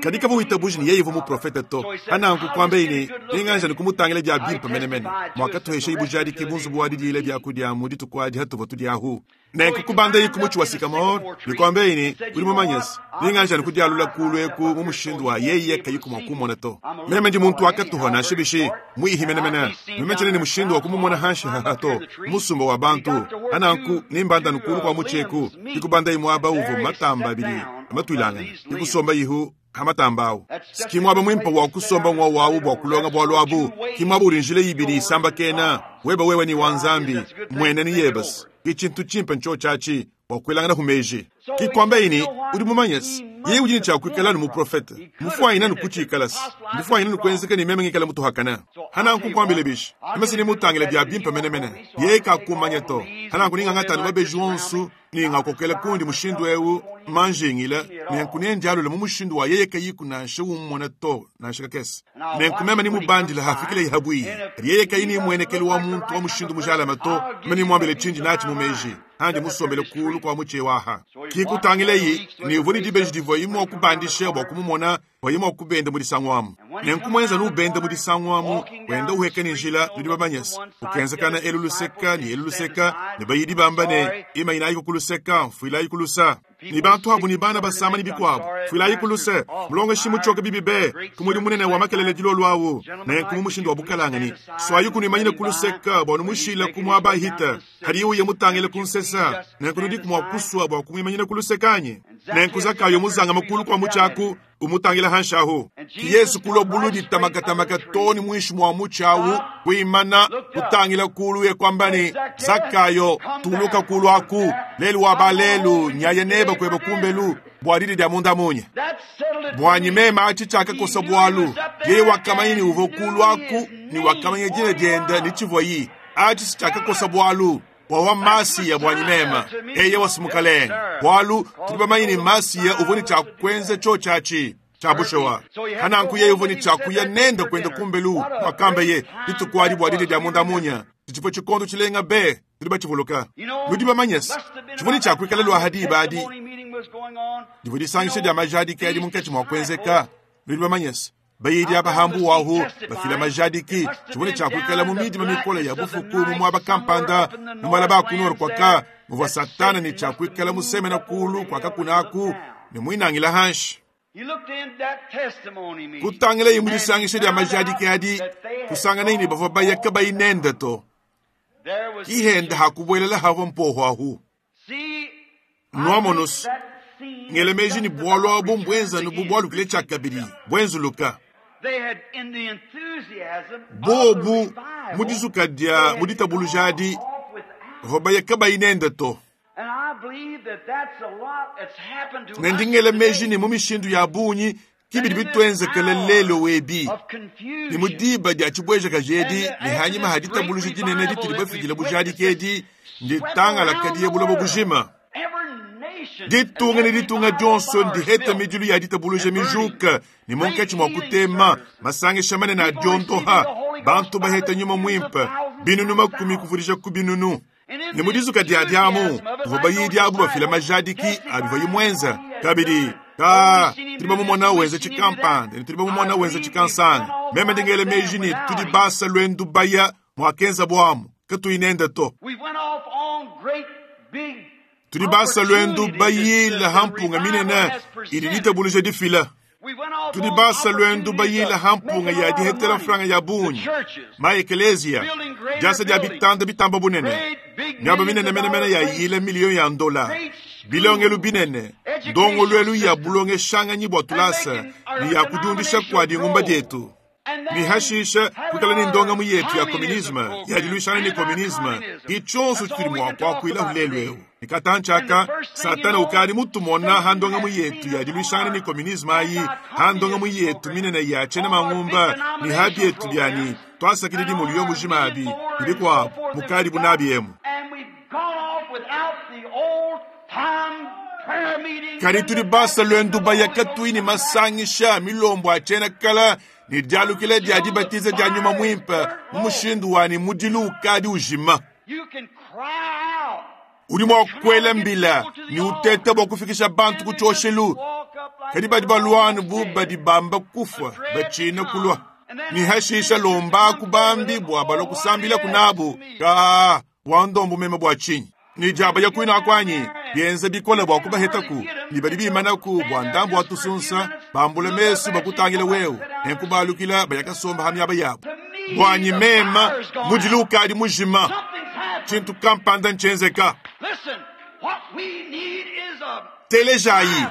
kadi kavua witabuji ni yeye uvua muprofeta to hananku kuambeyi ni ninganja ni kumutangila dia bimpe menemene mwakatuhesha ibujadiki bunzubu wa didiila biakudia mu dituku adi hatuvua tudiahu nenku kubandayi ku mutshi wa sikamore nikuambeyi ni udi mumanyese ninganja ni kudialula kulu eku mu mushindu wa yeye kayiku mua kumona to meme ndi muntu wakatuha nansha bishi muihi menemene meme tshiena ni mushindu wa kumumona hanshi haha to musumba wa bantu hananku nimbanda nukulu kua mutshi eku ndikubandayi muaba uvua matamba abidi matuilangana ndikusomba ihu hamatamba awu sikimwaba mwimpa wa kusomba ng'wa wawu bua kulonga bwalu abu kimwaba uli njila ibili isamba kena weba wewe ni wa Nzambi mwene ni yebasi ki tshintu tshimpe ntsho tshatshi bua kuelangana humeji kikwamba ini udi mumanyese yeye udi ni tshia kuikala nu muprofeta mufuanyina nu kutshikalasi mufuanyina nu kuenzeka ni meme ngikala mutuhakana hananku nkuambile bishi meme ni mutangile bia bimpe menemene yeye kakumanya to hananku ningangata mabeji onsu ningakokela kundi mushindu ewu manjingila nenku nendialula mu mushindu wa yeye kayiku nansha umona to nansha kakese nenku meme nimubandila hafikile ihabwiyi kadi yeye kayi nimwenekelo wa muntu wa mushindu mujalama to meme nimwambile tshindi natshi mu meji handi musombele kulu kwa mutshi waha kikutangileyi nivua ni dibeji divua imua kubandisha bua kumumona bua imua kubenda mu disangu amu nenku mwenza nubenda mu disangu amu wenda uheka ni njila nudi bamanyese ukenzekana elu luseka ni elu luseka ne bayidi bamba ne imayinayi kuluseka mfuilayi kulusa ni bantu abu ni bana basama ni bikuabu fuilayi kuluse mulongeshi mutshioka bibi be kumudi munene wa makelele dilolu awu nenku mu mushindu wa bukalanga swayi kunimanyine kuluseka bua numushila kumuaba hita hadi uye mutangile kunsesa nenku nudi kumua kusua bua kumwimanyine kulusekanyi nenku Zakayo muzanga makulu kwa mutshaku umutangila hanshahu ki Yesu kulo bulu ditamakatamaka toni mwishi mwa mutshawu kuimana kutangila kulu ye kwambani Zakayo tuluka kulu aku lelu wa balelu nyaye neba kweba kumbelu bua didi dia munda munye bwanyi mema atshi tshiakakosa bualu yeye wakamanya ni uvua kulu aku ni wakamanya dina dienda ni tshivuayi atshi si tshiakakosa bualu bua masiya bwanyi mema eye wasimukalenga bualu tudi bamanye ni masiya uvua ni tshiakwenza tsho tshiatshi tshiabushewa hananku yeye uvua ni tshiakuya nenda kwenda kumbelu wakamba ye dituku adi bua didi dia munda munya tshifo tshikondo tshilenga be tudi batshivuluka nudi bamanyese tshivua ni tshiakuikala lua hadiba adi divua disangisha dia majadiki adi munkatshi mua kuenzeka nudi bamanyese bayidi abahambu wahu bafila majadiki tshivua ni tshiakuikala mu midima mikola ya bufuku mu muaba kampanda mu malaba akunoro kwaka muvua satana ni tshiakuikala musemena kulu kwakakunaku ne muinangila hanshi kutangilayi mu disangisha dia majadiki adi kusanganayi ni bavua bayaka bayinenda to kihenda hakubuelela hava mpoho ahu nuamonosi ngele meji ni bualu abu mbwenzanu bu bualukile tshiakabidi buenzuluka bobu mu dizuka dia mu ditabuluja adi bavua bayaka bayinenda to ne ndingele meji ni mu mishindu ya bungi kibidi bitwenzekele lelo webi ni mu diba dia tshibuejaka jedi ni hanyima ha ditabuluja dinene ditudi bafikile bujadiki edi nditangalaka diye bulobo bujima Ditunga ne ditunga dionso ndiheta midilu ya ditabuluja mijuka ne munkatshi mua kutema masangisha manene a diondoha bantu baheta nyuma mwimpe binunu makumi kuvudisha ku binunu. Ne mu dizuka dia diamu tuvua bayidi abu bafila majadiki abivua imwenza kabidi ka tudi bamumona wenza tshikampanda ne tudi bamumona wenza tshikansanga meme ndingele meji ne tudi basa lwendu baya mwakenza bwamu katuinenda to. Tudi basa lwendu bayila hampunga minene idi ditabuluja difila. Tudi basa lwendu bayila hampunga ya dihetela franga ya bunyi ma ekelezia diasa dia bitanda bitamba bunene miaba minene menemene ya yila miliyo ya ndola bilongelu binene ndongolwelu ya bulonge shanganyi bwa tulasa ni ya kudiundisha kwa dingumba dietu. Mihashisha kukala ni ndonga yetu ya komunisme ya diluishana ni komunisme ichonso tuli mwa kwa kuila hulelweu nikatanchaka satana ukali mutumona handonga yetu ya diluishana ni komunisme ayi handonga yetu minene ya chena mangumba ni habi yetu byani twasakilidi muliyo mujima abi bilikwa mukali bunabi emu. Kari tuli basa lwendu bayaka tuini masangisha milombo achena kala ni dialukile dia dibatiza dia nyuma mwimpe mu mushindu wani mudilu ukadi ujima. Udi mwa kukwela mbila ni uteta bwa kufikisha bantu kuchoshelu kadi badi balwanu bu badi bamba kufa bachina kulwa ni hashisha lomba kubambi bwa balwa kusambila kunabu ka wandombu meme bwa chinyi ni jaba ya kuina kwanyi bienze bikola bwa kubahetaku ni badi bimanaku bwa ndambu wa tusunsa bambula mesu bakutangila wewe enkubalukila bayakasomba hamyaba yabo bwanyi mema mudilu ukadi mujima chintu kampanda nchenzeka. Telejayi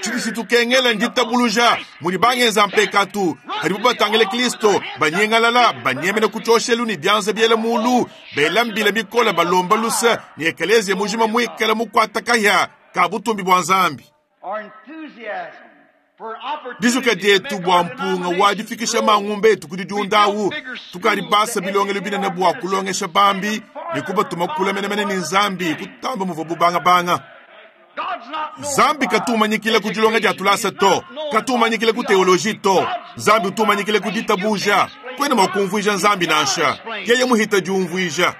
chidi tukengela nditabuluja mudi bangenza mpekatu hadibu batangile Kristo banyengalala banyemene kuchoshelu ni byanza byela mulu bela mbila bikola balomba lusa ni ekelezia mujima mwikala mukwata kahya ka butumbi bwa Nzambi. Dizuka dietu bwa mpunga wadifikisha mangumbe etu kudidiundawu tukali basa bilongelo binene bwa kulongesha bambi ni kuba tumakula menemene ni Nzambi kutamba muvo bubangabanga. Zambi katumanyikile kudilonga dia tulasa to katumanyikile ku teoloji to Zambi utumanyikile kuditabuja kwene makumvuija Nzambi nansha yeye muhita diumvuija.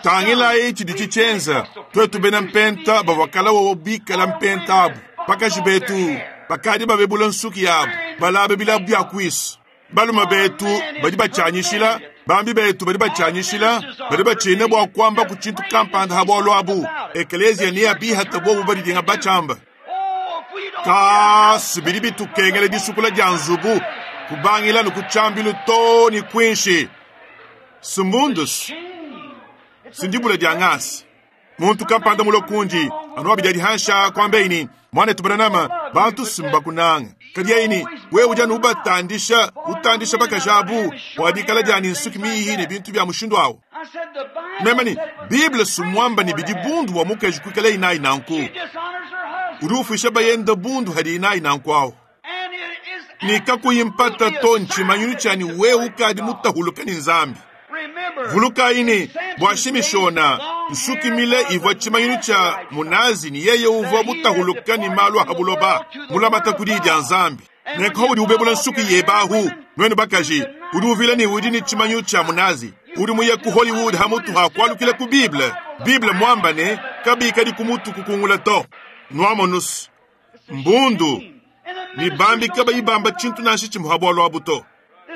Tangila ichi dichichenza twetu bena mpenta bavakala wobikala mpenta abu bakaji betu bakadi babebula nsuki yabu balabe bilabu bya kwisi baluma betu badi bachanyishila bambi betu badi bachanyishila badi bachine bwa kwamba ku chintu kampanda ha bwalo abu ekelezia ni abihata bobu badidinga bachamba kasu bidi bitukengele disukula dia nzubu kubangila nukuchambilu to ni kwinshi sumbundus sindibula dia ngasi muntu kampanda mulokundi anuwa bidia dihansha kwambeini mwana tubananama bantu simba kunanga kadiaini wewe uja nubatandisha utandisha bakajabu wadikala jani nsuki mihi ne bintu bya mushindu awo memani Bible sumwamba ni bidi bundu wa mukeji kwikala inai nanku uri ufisha bayenda bundu hadi inai nanku awo nikakuyimpata to nchimanyunu chani wewe ukadi mutahuluka ni Nzambi. Vulukaini bwashimishona nsukimile ivwa chimanyunu cha munazi ni yeye uvwa mutahuluka ni malu ahabuloba mulamata kudi dia Nzambi nenko udi ubebula nsuki yebahu nwenu bakaji udi uvila ni udi ni chimanyu cha munazi udi muye ku Hollywood hamutu hakwalukile ku Bible Bible mwamba ne kabika di kumutu kukungula to nwamonus mbundu ni bambi kaba ibamba chintu nanshi chimuhabwalo abuto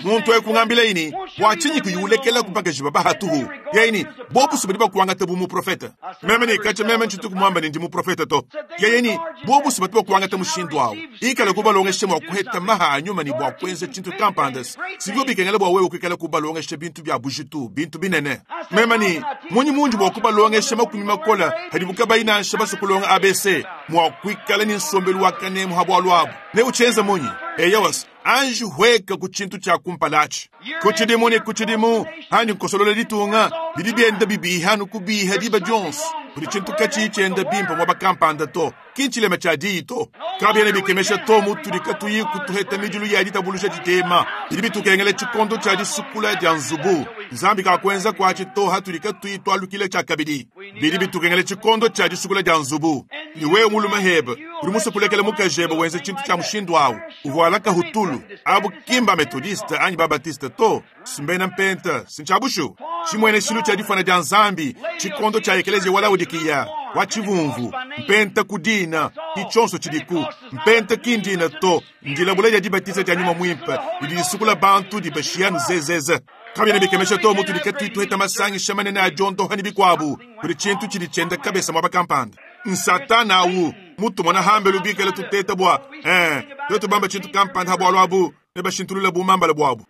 muntu ekungambila ini wachinyi kuyulekela kupaka jiba bahatuhu yaini bobu subadi bakuanga tabu mu profeta meme ni kacha meme nchitu kumwamba ni ndi profeta to yaini bobu subadi bakuanga tamu shindu awo ikala kubalongeshe mwa kuheta maha anyuma ni bwa kwenze chintu kampandas sivyo bikengela bwa wewe kwikala kubalongeshe bintu bya bujitu bintu binene meme ni munyi munji bwa kubalongeshe makumi makola hadibuka baina nsha kulonga A B C mwa kwikala ni nsombelu wakane muhabwalu abu ne uchenza munyi eyawas anji hweka ku chintu cha kumpalachi kuchidimu ni kuchidimu hani nkosolole litunga bidi byenda bibiha nukubiha diba jonso buli chintu kachi chenda bimpa mwa bakampanda to kinchilema cha dito kabyene bikemesha to mutuli katuyi kutuheta midilu ya ditabulusha ditema bidi bitukengele chikondo cha disukula dia nzubu Nzambi kakwenza kwachi to hatuli katuyi twalukile cha kabidi Bidi bitukengela tshikondo tshia disukula dia nzubu. Ne wewe mulume hebe, udi musue kulekela mukajebe wenza tshintu tshia mushindu awu. Uvuala kahutulu. Abu ki mba Methodiste anyi ba Baptiste to. Simbena mpenta, sintshabushu. Tshimwene tshilu tshia difana dia Nzambi, tshikondo tshia ekelezia wa Laodikiya, wa tshivumvu, mpenta ku dina, ki tshionso tshidiku. Mpenta ki ndina to, ndilabula dia dibatiza dia nyuma mwimpe, didi disukula bantu dibashiya zezeze. Kabyena bikemesha to mutu dikatwitu heta masangisha manene a diondoha ne bikuabu, kudi tshintu tshidi tshienda kabesa mwaba kampanda. Nsatana awu, mutu mona hambelu bikala tuteta bua, eh, twetu bamba tshintu kampanda ha bualu abu, ne bashintulula bumambala buabu.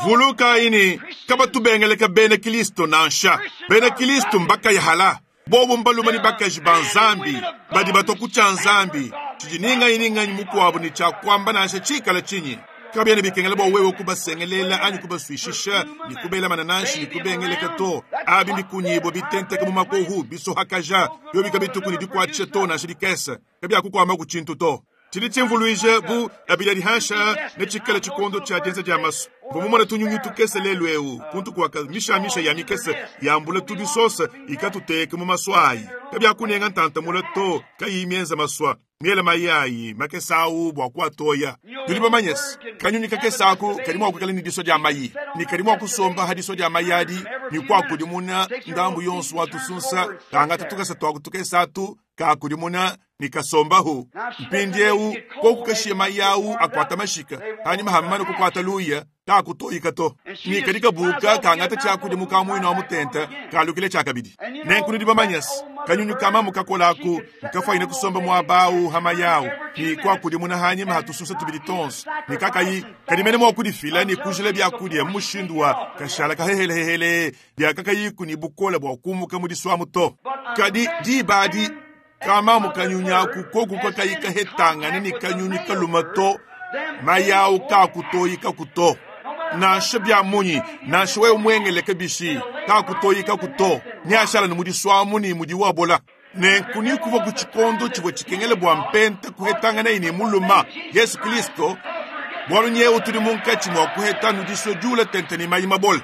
Vuluka ini, kabatubengeleka bena Kristo nansha. Bena Kristo mbakayahala. Bobo mbaluma ni bakaji ba Nzambi, badi batwa ku tshia Nzambi. Tshidi ninga ninga mukuabu ni tshia kuamba nansha tshikala tshinyi. Kabyena bikengela bua wewe kubasengelela anyi kubaswishisha, ni kubela manananshi, ni kubengeleka to. Abi bikunyibwa bitenteka mu makohu, bisohakaja, byo bikabituku ni dikwatshisha to nansha dikese. Kabyakukwama ku tshintu to. Tshidi tshimvuluije bu abila dihansha ne tshikala tshikondo tshia dienza dia masu. Vomumona tunyunyu tukese lelu eu, kuntu kuaka mishamisha ya mikese, yambula tubisosa, ikatuteke mu maswa ayi. Kabyakunenga ntantamula to, kayi mienza maswa. Miela mayi makesa awu bua kuatoya. Tudi bamanyese, kanyunyu kakesa aku kadi mua kuikala ne diso dia mayi. Ni kadi mua kusomba ha diso dia mayi adi, ni kuakudimuna ndambu yonso wa tusunsa, kangata tukasa tuaku tukesa atu, kakudimuna ni kasombahu. Mpindi eu, koku kashiye mayi awu akwata mashika, hanyuma hamana kukwata luya, kakutoyika to. Ni kadi kabuka kangata tshiakudimuka muina wa mutenta, kalukile tshiakabidi. Nenku nudi bamanyese, kanyunyu kama mukakolaku, nkafaine kusomba muabawu hamayawu, ni kuakudimuna hanyuma hatususa tubidi tonso. Ni kakayi, kadi mene mua kudifila ni kujila byakudia mu mushindu wa kashala kahehelehele, bya kakayiku ni bukola bua kumuka mu diswamu to. Kadi dibadi, kama mukanyunyaku koku kakayi kahetangane ni kanyunyu kaluma to, mayawu kakutoyika kuto. Nansha bya munyi, nansha wewe mwengeleke bishi, kakutoyika kuto. Nyashala ni mudiswamu ni mudi wabola. Nenku ni kuva ku tshikondo tshivua tshikengele bua mpente kuhetangana ni muluma Yesu Kristo, bualu nyewu tudi munkatshi mua kuheta nudiswe jula tente ni mayi mabola.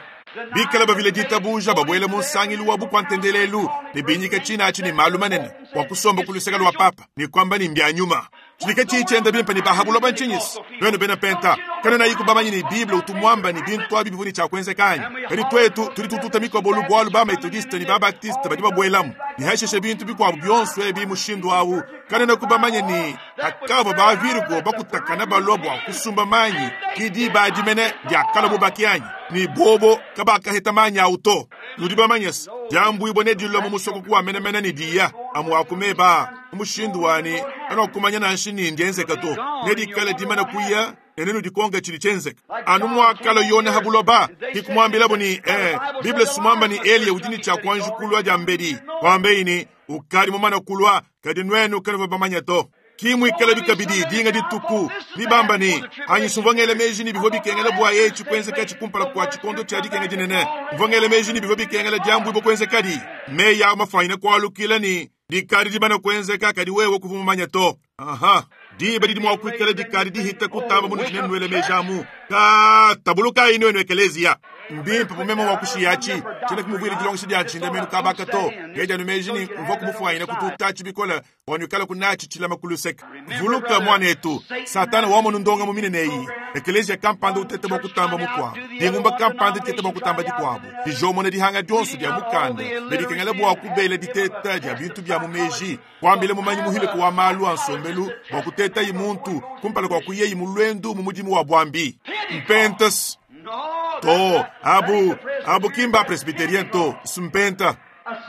Bikala bavile ditabuja babwele mu nsangilu wa bukwantendelelu, ne binyika tshina atshi ni malu manene, bua kusomba ku luseka lwa papa, ni kwamba ni mbya nyuma. Tshidika tshitshienda bimpe ni bahabulwa bantshinyisi. Nwenu bena penta, kana na yiku bamanyi ni Bible utumwamba ni bintu abi bivuni tshia kuenzekanya. Kadi twetu tudi tututa mikobolu bualu ba Methodiste ni ba Baptiste badi babwelamu. Ni hasheshe bintu bikuabu bionso ebi mushindu awu. Kana na kubamanya ni hakava ba Virgo bakutakana balwa bua kusumba manyi, kidi badimene diakala bubakianyi. Ni bobo kabakaheta manyi awu to. Nudi bamanyese, diambu ibone dilwa mu musoko kuwa menemene ni diya. Amu akumeba mushindu wani anokumanya nanshi ni ndienzeka to. Nedikala dimana kuya enenu dikonga chili chenzeka. Anu mwakalo yona habuloba hikumwambila buni eh Biblia sumamba ni Elia ujini cha kwanju kulwa jambedi. Kwambeini ukali mumana kulwa kadi nwenu kanu bamanya to. Kimwi ikala bikabidi dinga dituku bibamba ni anyi sumvangele meji ni bivyo bikengele bwa yechi kwenzeka chikumpala kwa chikondo cha dikenge dinene. Mvangele meji ni bivyo bikengele jambu ibo kwenzeka di. Meya mafaina kwa lukila ni dikari dibana kwenzeka kadi wewe kuvumanya to. Aha. Diba didi mwa kuikala dikari dihita kutamba munu jine nwele mejamu. Ka tabuluka inu enu ekelezia. Mbimpe pumema wa kushiyachi. Chine kumuvili jilongisha dia chinda menu kabaka to. Geja numeji ni mvua kumufuaina kututa chibikola. Wanyukala kunachi chilama kuluseka. Vuluka mwanetu. Satana wamono ndonga mumine neyi. Ekelezia kampanda utete mwa kutamba mukwa. Dingumba kampanda utete mwa kutamba dikwabu. Dijomo na dihanga dionso dia mukanda. Medikengele bwa kubele diteta dia bintu bya mumeji. Kwambile mumanyi muhile kwa malu ansombelu. Bwa kuteta imuntu. Kumpala kwa kuyeyi mulwendu mumudimu wa bwambi. Mpentas. To, abu, abu kimba presbyterien to, simpenta.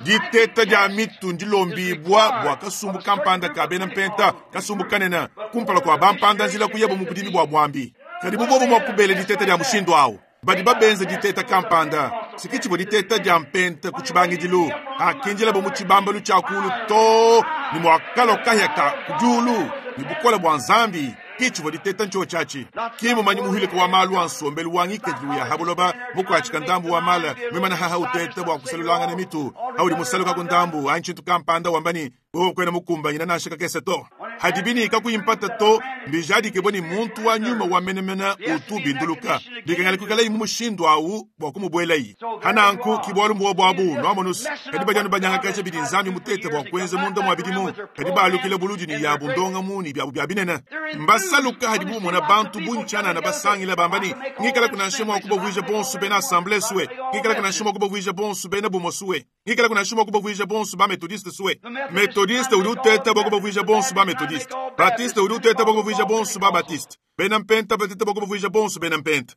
Diteta dia mitu ndilombibwa bwa kasumbu kampanda kabena mpenta, kasumbu kanena, kumpala kwa bampanda nzila kuyebo mukudimi bwa bwambi. Kadi bubobo mwa kubele diteta dia mushindu awu. Badi babenze diteta kampanda. Sikichibo diteta dia mpenta kuchibangidilu. Akinjila bo muchibambalu chakulu to, ni mwakalo kahya kujulu, ni bukola bwa Nzambi. Kichibo diteta ncho chachi. Kimu manyi muhile kwa malu ansombelu wangike juu ya habuloba mukwachika ndambu wa mala mwimana haha utete bwa kusalulanga na mitu. Hauli musaluka kundambu anchintu kampanda wambani wewe kwena mukumba nyina nashika kese to. Hadibi kakuyi mpata to mbijadike ni muntu wa nyuma wa menemene utu binduluka bikengela kuikalayi mu mushindu awu bua kumubuelayi hananku kibwalu mbua bwabu nwamonusu kadi badi anu banyangakaja bidi nzambi mutete bua kuenza munda mwa bidimu kadi balukile buludi ni yabu ndonga muni byabu bya binene mbasaluka hadi bumona bantu buntshanana basangila bamba ni ngikala kunansha mwa kubavuija bonso bena assemblée suwe ngikala kunansha mwa kubavuija bonso bena bumo suwe ngikala kunansha mwa kubavuija bonso ba methodiste suwe methodiste udi uteta bua kubavuija bonso ba methodiste batiste udi uteta bua kubavuija bonso ba batiste bena mpenta bateta bua kubavuija bonso bena mpenta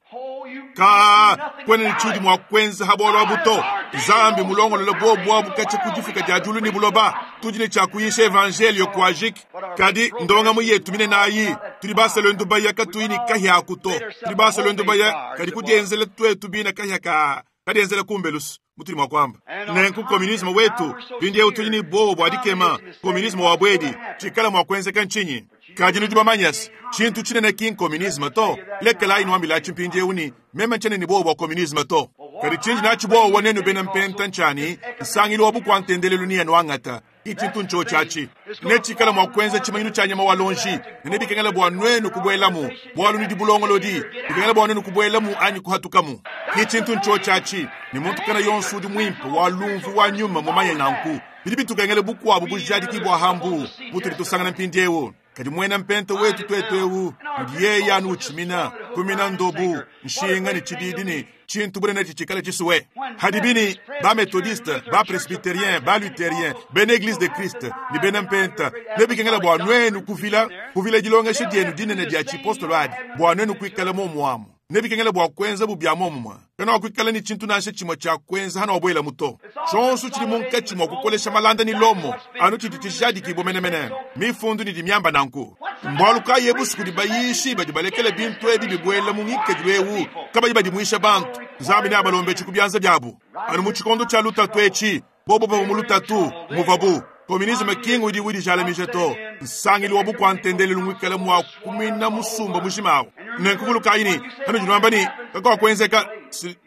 ka kwena ni tshudi mwa kwenza habwalo abuto zambi mulongolola bobu abu kacha kudifuka dia julu ni buloba tudi ne tshakuyisha evangelio kwajik kadi ndonga mu yetu mine nayi tudi basalo ndubaya katuyi ni kahya kuto tudi basalo ndubaya kadi kudienzela twetu bina kahya ka kadienzela kumbelusu mutuli mwa kwamba nenku komunisme wetu pindiewu tudi ni bobo bwa dikema komunisme wa bwedi tshikala mwa kuenzeka nchinyi kadi nudi bamanyasi tshintu tshinene ki nkomunisme to lekelayi nwambila tshimpindiewu ni meme ntshene ni bobo bwa komunisme to kadi tshinji natshi bobo nenu bena mpenta ntshani nsangilu wa bukwantendelelu ni yenu angata ichintu ncho chachi netshikala mwa kuenza tshimanyinu tshia nyama wa lonji nene bikengela bua nwenu kubuelamu bwalu nudi bulongolodi bikengela bua nwenu kubuelamu anyi kuhatukamu ichintu ncho chachi ni muntu kana yonso udi mwimpe wa lumvu wa nyuma mumanye nanku bidi bitukengele bukwabu bujadiki bua hambu butudi tusangana mpindiewu kadi mwena mpente wetu twetu ewu udi yeye anu utshimina kumina ndobu nshinga ni tshididi ni tshintu bunene tshitshikala tshisuwe hadibini ba methodiste ba presbytérien ba luthérien bena église de Christ ni bena mpenta nebikengela bua nwenu kuvila kuvila dilongesha dienu dinene dia tshipostolo adi bua nwenu kuikala momuamu nebikengela bua kuenza bubya momumwa kana wakuikala ni tshintu nansha tshimwe tshia kuenza hana wabuela muto tshonso tshili munkatshi mwa kukolesha malanda ni lomo anu tshidi tshijadikibwa menemene mifundu ni dimiamba nanku mbwalu kayi busuku di bayishi badi balekela bintu ebi bibuela mu ngikadilu ewu kabayi badimuisha bantu nzambi ne abalombe tshikubyanza byabu anu mu tshikondo tshia lutatu etshi bobo bava mu lutatu muvabu komunisme kingu udi widijalamija to nsangilu wa bukwantendelelu ngwikala mwa kumina musumba mushimawo nenkuvulukayi ni hano jinwamba ni kakawakwenzeka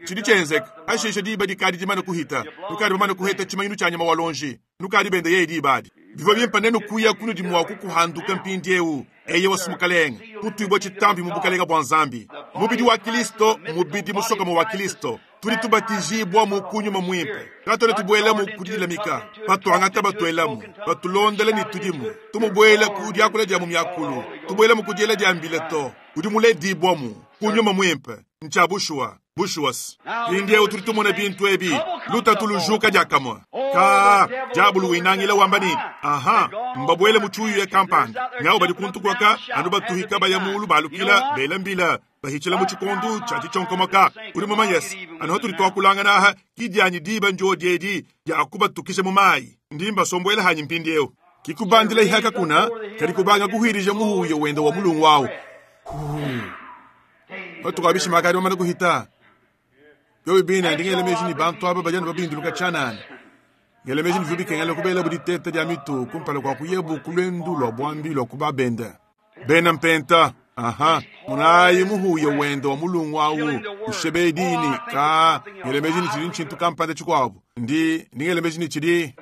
tshidi tshenzeka ashisha diba dikadi dimane kuhita nukadi bamane kuheta tshimanyinu tshia nyama wa lonji nukadi bende yeye dibadi bivua bimpa nenu kuya kunudi mwa kukuhanduka mpindiewu eye wasumukalenga kutuibwa tshitambi mu bukalenga bua nzambi mubidi wa kristo mubidi musokamo wa kristo tudi tubatijibwa mu kunyuma mwimpe katone tubuelamu kudilamika patuangata batuelamu patulondela ni tudimu tumubuela ku diakula dia mu miakulu tubuelamu ku diela dia mbila to udi muledibwamu kunyuma mwimpe ncha bushuwa bushuwas mpindiewu tudi tumona bintu ebi lutatu lujuka diakamwa ka diabulu winangila wamba ni aha mbabuele mu tshiuyu ya kampanda ngao badi kuntukwaka anu batuhika baya mulu balukila bela mbila bahichila mu tshikondu tshia tshitsonkomoka udi mumanyesi anu hatudi twakulangana aha kidianyi diba njo diedi dia kubatukisha mu mayi ndi mbasombuela hanyi mpindiewu kikubandila ihaka kuna kadi kubanga kuhwirija muhuyo wenda wa mulungu wawu batukabishima kadi bamane kuhita byobi bina ndingele meji ni bantu aba bajana babinduluka tshanana ngele meji ni bikengela kubela buditete dia mitu kumpala kwa kuyebu kulwendu lwa bwambi lwa kubabenda bena mpenta aha munayi muhuyo wenda wa mulungu awu ushebedini ka ngele meji ni tshidi nchintu kampanda tshikuabu ndi ndingele meji ni tshidi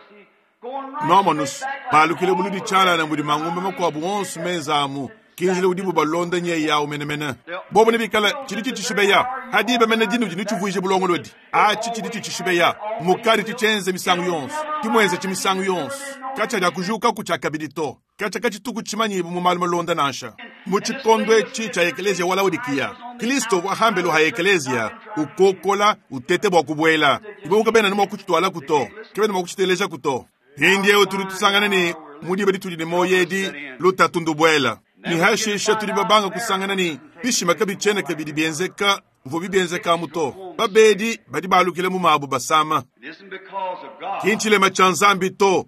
nomonus balukile buludi tshanana mudi mangumba makuabu onso menzamu kinjile udibu balonda nye yawu menemene bobo nebikala tshidi tshitshishibeya hadiba mene dinu dinu tshivuije bulongolodi atshi tshidi tshitshishibeya mukadi tshitshenze misangu yonso timwenze tshimisangu yonso katshia dia kujukaku tshia kabidi to katshia katshituku tshimanyibu mu malu malonda nansha mu tshikondo etshi tshia ekeleziya wa laodikiya kristo wahambelu ha ekeleziya ukokola utete bua kubuela ibobuka bena ni mua kutshitualaku to ke bena mua kutshitelejaku to mpindiewu tudi tusangana ni mudiba ditudi ne moyo edi lutatu ndubuela ni hashisha tudi babanga kusangana ni bishima kabitshiena kabidi bienzeka mvua bibienzeka muto babedi badi balukile mu mabu basama kinchilema tshia nzambi to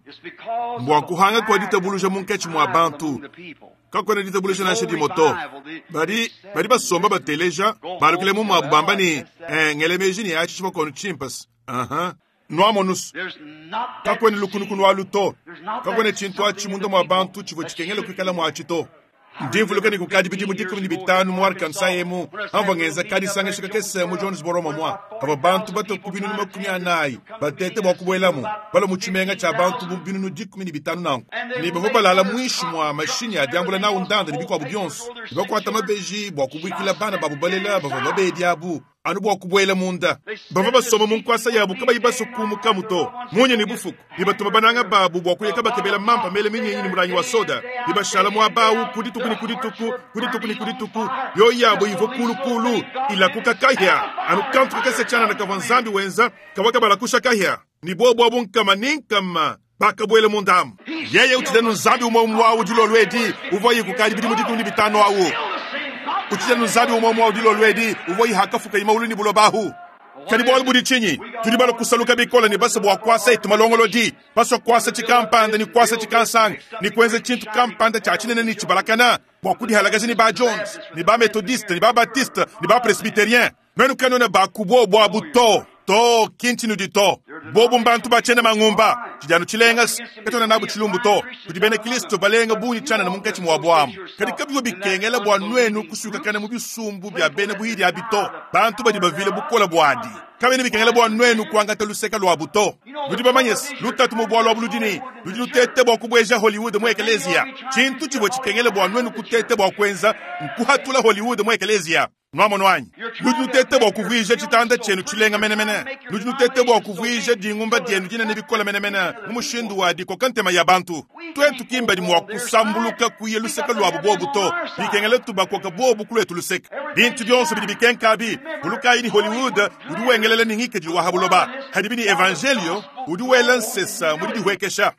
mbua kuhanga kua ditabuluja munkatshi mua bantu kakwena ditabuluja nansha dimo to badi badi basomba bateleja balukile mu mabu bamba ni eh, ngele meji ni atshi tshimakono tshimpasi aha nwamonus kakwene lukunukunu alu to kakwene tshintu atshi munda mua bantu tshivua tshikengela kuikala muatshi to Ndi mvuluka ne kukadi bidimu dikumi ne bitanu mu Arkansas emu, amvua ngenza kadisangisha kakese mu Jonesboro momua, pavua bantu batue ku binunu makumi anayi batete bua kubuelamu, balua mu tshimenga tshia bantu bu binunu dikumi ne bitanu nanku. Ne bavua balala muinshi mua mashinyi a diambula nawu ndanda ne bikuabu bionso, ne bakuata mabeji bua kubuikila bana babu balela bavua babedi abu anu bua kubuela munda. Bavua basomba mu nkuasa yabu kabayi basue kumukamu to, munya ne bufuku, ne batuma bananga babu bua kuya kabakebela mampa mele minyinyi ne mulangi wa soda, ne bashala muaba awu ku dituku ne ku dituku, ku dituku ne ku dituku. Mioyo yabu ivua kulukulu ilakuka kahia, anu kantu kakese tshianana kavua Nzambi wenza kavua kabalakusha kahia, ne bobu abu nkama ne nkama bakabuela mundamu. Yeye utshidi anu Nzambi umue umue awu dilolo edi uvuaye kukadi bidimu dikumi ne bitanu awu. Utshidi anu Nzambi umue umue awu dilolo edi uvuaye hakafuka imaulu ne buloba ahu. Kadi bualu budi tshinyi? Tudi balua kusaluka bikole ne basue bua kuasa etu malongolodi, basue kuasa tshikampanda ne kuasa tshikansanga ne kuenza tshintu kampanda tshia tshinene ne tshibalakana bua kudihalakaja ne ba Jones ne ba Methodiste ne ba Baptiste ne ba Presbyterien. Nuenu kanuena ba ku bobu abu to. To, ki ntshinudi to. Bobu mbantu ba tshiena mangumba, tshidi anu tshilenga se, katuena nabu tshilumbu to. Kudi bena Kristo balenga bungi tshianana munkatshi muabu amu. Kadi kabiwa bikengela bua nuenu kusukakana mu bisumbu bia bena buhidi abi to. Bantu badi bavile bukole buadi. Kabiena bikengela bua nuenu kuangata luseka luabu to. Nudi bamanye se, lutatu mu bualu abu ludi ne, ludi lutete bua kubueja Hollywood mu ekelezia. Tshintu tshivua tshikengela bua nuenu kutete bua kuenza nkuhatula Hollywood mu ekelezia. Nuamono anyi? Nudi nutete bua kuvuija tshitanda tshienu tshilenga menemene. Nudi nutete bua kuvuija dingumba dienu dinene bikole menemene mu mushindu wa dikoka ntema ya bantu. Tuetu ki mbadi mua kusambuluka kuya luseke luabu bobu to. Bikengela tubakoka bobu kuluetu luseke. Bintu bionso bidi bikenka abi, vulukayi ni Hollywood udi wengelela ne ngikadilu wa ha buloba. Hadibi ni evangelio udi wela nsesa mu didihuekesha.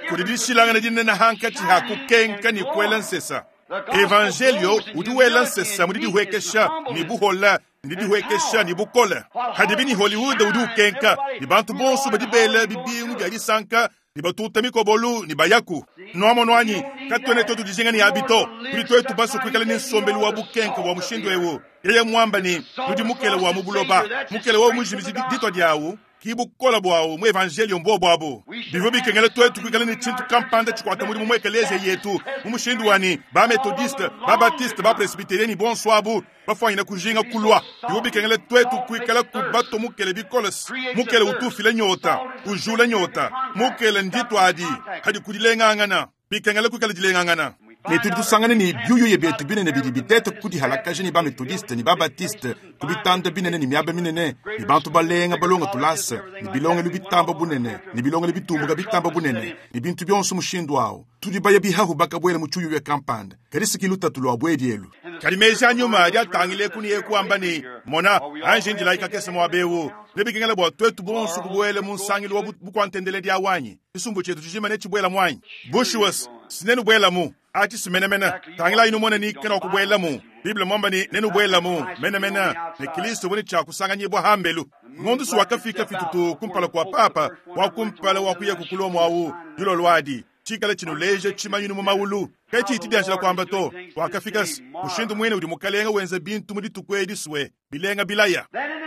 Kudi dishilangana dinene hankatshi ha kukenka ne kuela nsesa. Evangelio udi wela nsesa mu didihuekesha ne buhola ne didihuekesha ne bukole. Hadibi ni Hollywood udi ukenka ne bantu bonso badi bela bibingu bia disanka ne batuta mikobolu ne bayaku. Nuamono anyi? Katuena tuetu dijinga ne abi to. Tudi tuetu basue kuikala ne nsombelu wa bukenka bua mushindu ewu. Yeye muamba ne nudi mukele wa mu buloba. Mukele wa mujimiji ditua diawu ki bukola buawu mu evangelio mbobu abu. Bivua bikengela tuetu kuikala ne tshintu kampanda tshikuata mudimu mu ekelezia yetu mu mushindu wa ne ba Methodiste, ba Baptiste, ba Presbyterienne ne bonso abu bafuanyina kujinga kulua. Bivua bikengela tuetu kuikala kubato mukele bikole. Mukele utufila nyota, ujula nyota. Mukele nditwadi hadi kudilengangana. Bikengela kuikala dilengangana. Ne tudi tusangana ne biuyuye bietu binene bidi bitete kudihalakaja ne ba Methodiste ne ba Baptiste ku bitanda binene ne miaba minene ne bantu balenga balonga tulasa ne bilongelu bitamba bunene ne bilongelu bitumbuka bitamba bunene ne bintu bionso mushindu awu. Tudi baya bihahu bakabuela mu tshiuyuye kampanda. Kadi siki lutatu lua buedi elu. Kadi meji a nyuma adi atangile ku ne kuamba ne, mona, anji ndilayi kakese muaba ewu. Ne bikengela bua tuetu bonso kubuela mu nsangilu wa bukuantendeledi awanyi. Tshisumbu tshietu tshijima ne tshibuela muanyi. Bushuwa sinenu buelamu. Achi simenemene. Tangila inu mona ni kena kubuelamu. Bible mwamba ni nenu buelamu. Menemene. Ne Kristo woni cha kusanganyibwa hambelu. Ngondu su wakafika fitutu kumpala kwa papa wa kumpala wa kuya kukulomo awu dilo lwadi. Chikala chinuleje chimanyinu mu maulu. Kachi itidianjila kwamba to wakafika mushindu mwene udi mukalenga wenza bintu mu dituku edi swe bilenga bilaya.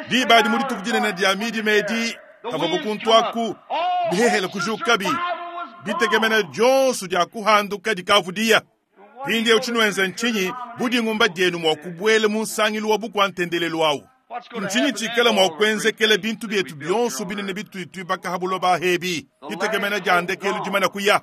Diba adi mu dituku dinene dia midi medi kavua bukuntwaku bihehele kujukabi. Bitegemena dionso dia kuhanduka dikavudia. Mpindieu tshinuenza ntshinyi budi ngumba dienu mua kubuela mu nsangilu wa bukuantendelelu awu. Ntshinyi tshikala mua kuenzekela bintu bietu bionso binene bituituibaka ha buloba hebi. Ditegemena dia ndekelu dimana kuya.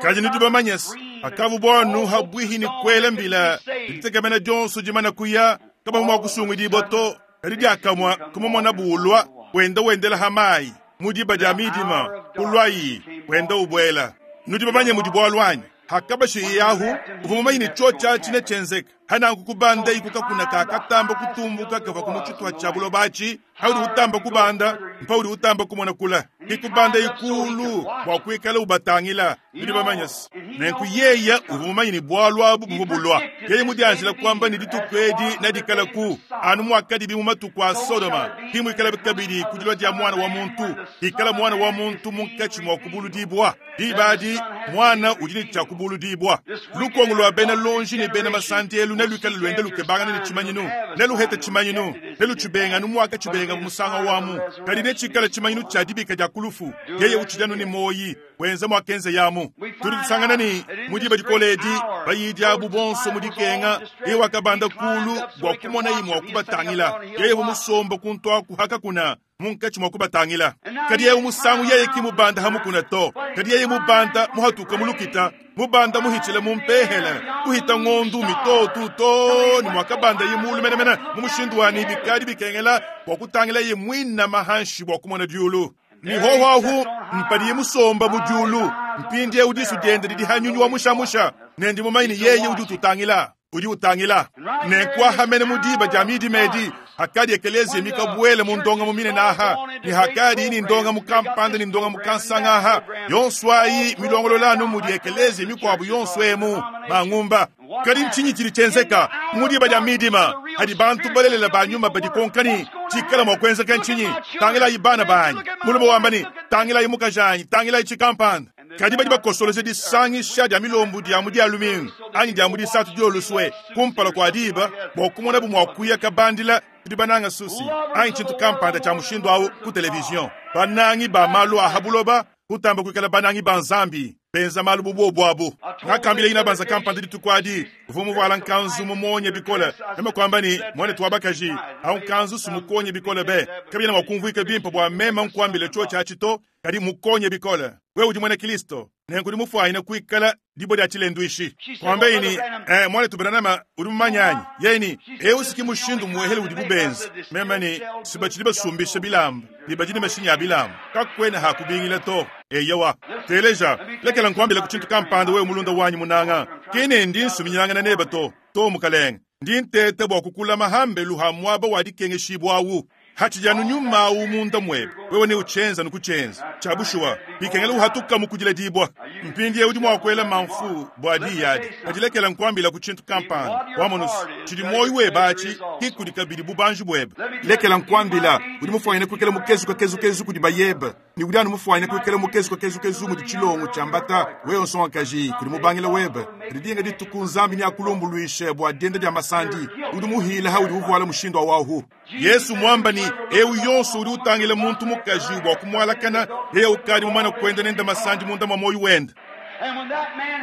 Kadi nudi bamanye se, akavu buonu habwihi ni kuela mbila. Ditegemena dionso dimana kuya kaba mua kusungudibwa to. Kadi diakamua kumumona bulwa wenda wendela hamayi mudiba dia midima kulwayi wenda ubwela. Nudi bamanye mudi bualu anyi? Hakabashi yahu uvua mumanyi ne tshotsha tshine tshenzeka. Hananku kubanda ikuka kuna kakatamba kutumbuka kava ku mutshitwa tshia buloba atshi. Haudi utamba kubanda mpaudi utamba kumona kula. Ikubanda ikulu bua kuikala ubatangila. Nudi bamanye se, nenku yeya uvua mumanyi ne bualu abu buvua bulua. Yeye mudianjila kuamba ne dituku edi nedikala ku anu muakadibi mu matuku a Sodoma. Ki muikala kabidi ku dilua dia mwana wa muntu. Ikala mwana wa muntu munkatshi mua kubuludibwa. Diba adi mwana udi ne tshia kubuludibwa. Lukongo lua bena lonji ne bena masandielu neluikale luende lukebangana ne tshimanyinu. Neluhete tshimanyinu. Nelutshibenga nu mwaka tshibenga musanga wamu. Kadi netshikale tshimanyinu tshia dibika dia kulufu. Yeye utshidi anu ne moyi wenza mwakenze yamu. Tudi tusangana ne ni mu diba dikole edi bayidi abu bonso mu dikenga yeye wakabanda kulu bua kumona ye mua kubatangila yeye musomba kuntwaku hakakuna munkatshi mua kubatangila kadi yeye musangu yeye ki mubanda hamukuna to kadi yeye mubanda muhatuka mulukita mubanda muhitshile mumpehele kuhita ngondu mitotu to ni mwakabanda ye mulu menemene mu mushindu wani bikadi bikengela bua kutangila ye mwina mahanshi bua kumona diulu ni hohoahu mpadiye musomba mu diulu mpindie udisu diende didi hanyunyu wa mushamusha nendi mumanyi yeye udi ututangila udi utangila nenkwahamene mu diba dia midi medi hakadi ekelezia mikabuele mu ndonga mu minene aha ni hakadi ini ndonga mu kampanda ni ndonga mu kansanga aha yonso ayi milongololanu mudi ekelezia mikuabu yonso emu mangumba kadi ntshinyi tshidi tshienzeka mu diba dia midima hadi bantu balelela banyuma badikonkani tshikala mua kuenzeka ntshinyi tangilayi bana banyi mulume wamba ni tangilayi mukajanyi tangilayi tshikampanda kadi badi bakosoloja disangisha dia milombu dia mu dia lumingu anyi dia mu disatu dioluswe kumpala kua diba bua kumona bu mua kuya kabandila tudi bananga susi anyi tshintu kampanda tshia mushindu awu ku televizion banangi ba malu a habuloba kutamba kuikala banangi ba nzambi benza malu bubobu abu ngakambila ina banza kampanda dituku adi uvua muvuala nkanzu mumonye bikole meme kuamba ni mwane wa bakaji au nkanzu sumukonye bikole be kabina mua kumvuika bimpe bua meme nkuambile tsho tshia tshito kadi mukonye bikole wewe udi mwene Kristo nenku udi mufuanyine kuikala dibo dia tshilenduishi kuambe ini eh, mwane tubenanama udi mumanyanyi yeni eu siki mushindu muehele udi bubenza meme ni sibatshidi basumbisha bilamba bibadi mashinyi ya bilamba kakwena hakubingila to eyewa teleja lekela nkuambila ku tshintu kampanda wewe mulunda wanyi munanga kine ndi nsuminyangana neba to to mukalenge ndi ntete bua kukulama hambelu ha muaba wa dikengeshibwawu hatshijanu nyuma awu munda mwebe wewe ne uchenza nukuchenza chabushuwa bikengela uhatuka mukudila dibwa mpindie udi mua kuela mamfu bua diyadi kadilekela nkuambila ku tshintu kampanda wamonusu tshidi moyo webe atshi kikudi kabidi bubanji bwebe lekela nkuambila udi mufuanyine kuikala mukezuka kezukezu kudi bayebe ni udi anu mufuanyine kuikala mukezuka kezukezu mudi tshilongo tshiambata wewe nsongakaji kudi mubangila webe kadi dinga dituku nzambi ni akulumbuluishe bua dienda dia masandi udi muhila ha udi uvuala mushindu awahu Yesu mwamba ni eu yonso udi utangila muntu mukaji bua kumualakana yeye ukadi mumana kuenda nenda masandi munda mwa moyo wenda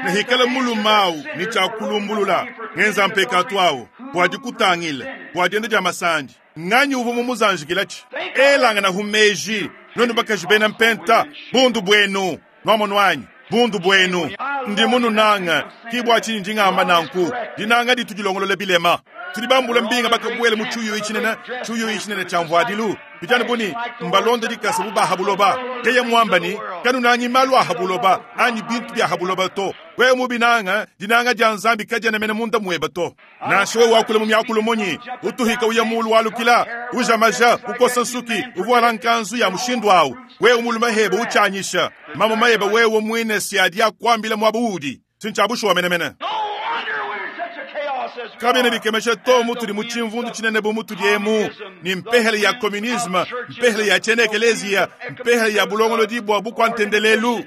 nehikala mulumawu ni tshakulumbulula ngenza mpekatu awo bua dikutangila bua dienda dia masandi nganyi uvua mumuzanjikilatshi elangana humeji nonu bakaji bena mpenta bundu bwenu nwamonu wanyi bundu bwenu ndi mununanga kibwa tshinyi ndingamba nanku dinanga ditu dilongolola bilema tudi bambula mbinga bakabuele mu tshiuyu itshinene tshiuyu itshinene tshia mvuadilu bijana buni mbalonda dikasa bubaha buloba keye mwamba ni kanunangi malu aha buloba anyi bintu bya ha buloba to wewe mubinanga dinanga dia nzambi kadiena mene munda mweba to nansha wewe wakula mu myakulu munyi utuhika uya mulu walukila uja maja ukosa nsuki uvuala nkanzu ya mushindu awu wewe mulume heba uchanyisha mama mayeba wewe mwine siadi akwambila mwaba udi sintshabushuwa menemene kabene bikemeshe to mutudi mu tshimvundu tshinene bu mutudi emu ni mpehele ya communisme mpehele ya tshiena ekelezia mpehele ya bulongolodi bua bukwantendelelu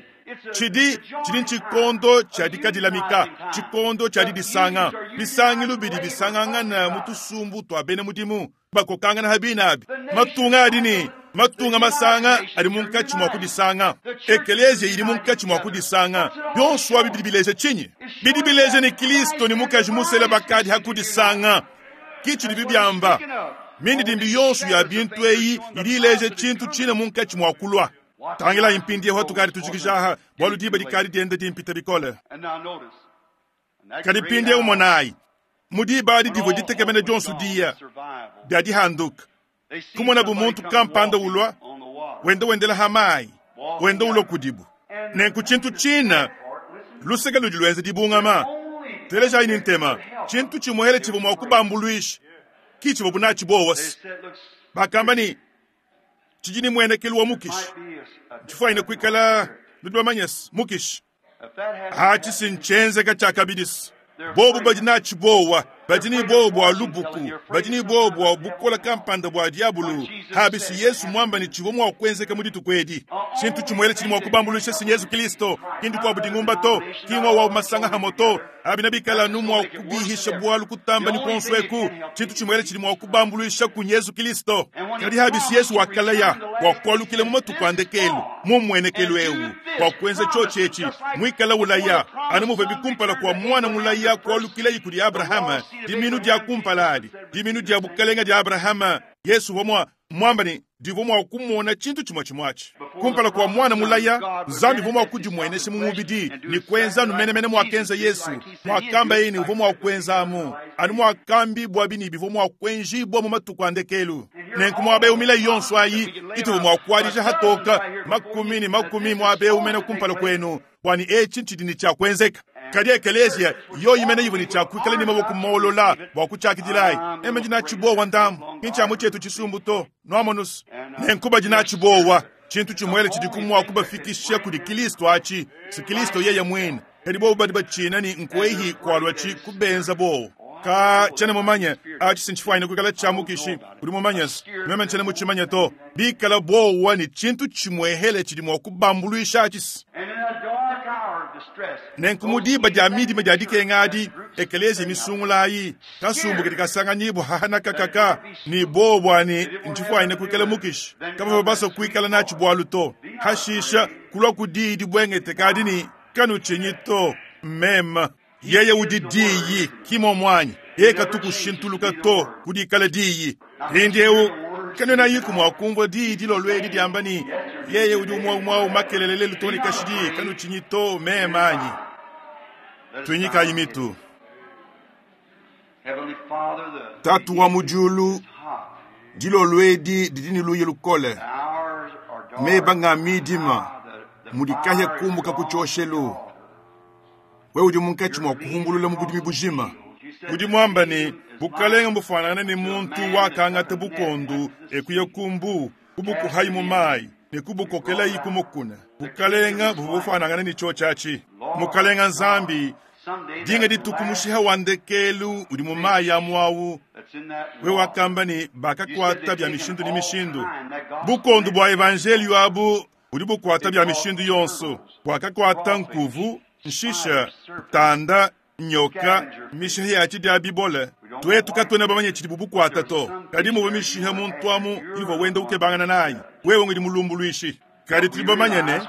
tshidi tshidi tshikondo tshia dikadilamika tshikondo tshia didisanga bisangilu bidi bisangangana mu tusumbu tua bena mudimu bakokangana habinabi matunga adi ni matunga masanga adi munkatshi mua kudisanga ekelezia idi munkatshi mua kudisanga byonso abi bidi bileja tshinyi bidi bileja ni Kristo ni mukaji musele bakadi hakudisanga kitshi dibi byamba mindidimbi yonso ya bintu eyi idi ileja tshintu tshine munkatshi mua kulwa tangila impindi yeho tukadi tujikijaha bwalu diba dikadi dienda dimpita bikole kadi pindi umonayi mudiba adi divua ditekemena dionso dia dia dihanduka kumona bu muntu kampanda ulwa wenda wendela hamayi wenda ulwa kudibu nenku tshintu tshina luseke ludi lwenza dibungama telejayi ni ntema tshintu tshimuhele tshivua mua kubambuluisha kitshivua bunatshi bowasi bakamba ni tshidi ni muenekelu wa mukishi tshifuanyine kuikala ludi bamanyesi mukishi atshi sintshienzeka tshia kabidisi bobu badi natshi bowa Badi ne buowa bua lubuku, badi ne buowa bua bukola kampanda bua diabulu. Habisi Yesu mwamba ne tshivua mua kuenzeka mu dituku edi. Tshintu tshimuele tshidi mua kubambuluisha si Yesu Kristo, kindu kwa budingumba to, kingwa wa masanga hamoto. Abina bikala nu mua kubihisha bualu kutamba ni konso eku. Tshintu tshimuele tshidi mua kubambuluisha ku Yesu Kristo. Kadi habisi Yesu wakalaya kwa kualukila mu matuku a ndekelu, mu mmuenekelu eu, kwa kuenza tshiotshi mwikala ulaya anu muve bikumpala kwa mwana mulaya kualukila kudi Abrahama, diminu dia kumpala adi, diminu dia bukalenga dia Abrahama. Yesu vomwa mwamba ni divua mua kumona tshintu tshimue tshimuatshi kumpala kwa mwana mulaya. Nzambi vua mua kudimuenesha mu mubidi ni kuenza anu menemene muakenza Yesu muakamba ini uvua mua kuenzamu anu muakambi bua bini bivua mua kuenjibua mu matuku a ndekelu. Nenku muaba milayi yonso ayi ituvua mua kuadija hatoka makumi ni makumi muaba umene kumpala kwenu, bwani etshi ntshidi ni tshia kuenzeka. Kadi ekeleziya yoyi imene ivua ni tshia kuikala ni maboko molola bua kutshakidilayi eme ndina tshibowa ndamu kintshiamu tshietu tshisumbu to nwamonusu. Nenku badi tshibowa tshintu tshimuele tshidi kumua kubafikisha kudi Kristo atshi si Kristo yeye mwene. Kadi bobu badi batshina ni nkuehi kualua tshi kubenza bowo ka tshene mumanye atshi sintshifuanyine kuikala tshiamukishi udi mumanye meme ntshene mutshimanye to bikala bowa ni tshintu tshimuehele tshidi mua kubambuluisha atshi. Nenku mu diba dia midima dia dikenga adi ekelezia misungulayi kasumbu kadi kasanganyibwa hahanakakaka ni bowa ni ntshifuanyine kuikala mukishi kabava basa kuikala natshi bualu to hashisha kulua kudi dibwengete kadi ni kanutshinyi to meme yeye udi diyi kimo mwanyi ye katukushintuluka to kudikala diyi mpindieu kanena yiku mua kumvua diyi dilolo edi diamba ni yeye udi umwe umwe umakelele lelu to ni kashidi kanutshinyi to meme anyi. Tunyikayi mitu. Tatu wa mu diulu, dilolo edi didi ne luya lukole, meba nga midima mudikahya kumbuka ku tshioshelu. Wewe udi munkatshi mua kuhumbulula mu budimi bujima. Udi mwamba ni bukalenga bufanana ni muntu wakangata bukondu ekuya kumbu kubukuhayi mu mayi ne kubukokelayi kumukuna. Bukalenga bubufanangana ni tshiotshi Mukalenga Nzambi dinga dituku mushiha wa ndekelu udi mu mayi ya mwawu. We wakamba ni bakakwata bya mishindu ni mishindu bukondu bua evangelio abu udi bukwata bya mishindu yonso bwakakwata nkuvu nshisha tanda nyoka mishiha ya tshidia bibole. Twetu katwena bamanye tshidi bubukwata to kadi muve mishiha muntu amu ivua wenda ukebangana nayi wewe ngidi mulumbuluishi. Kadi tuli bamanye ne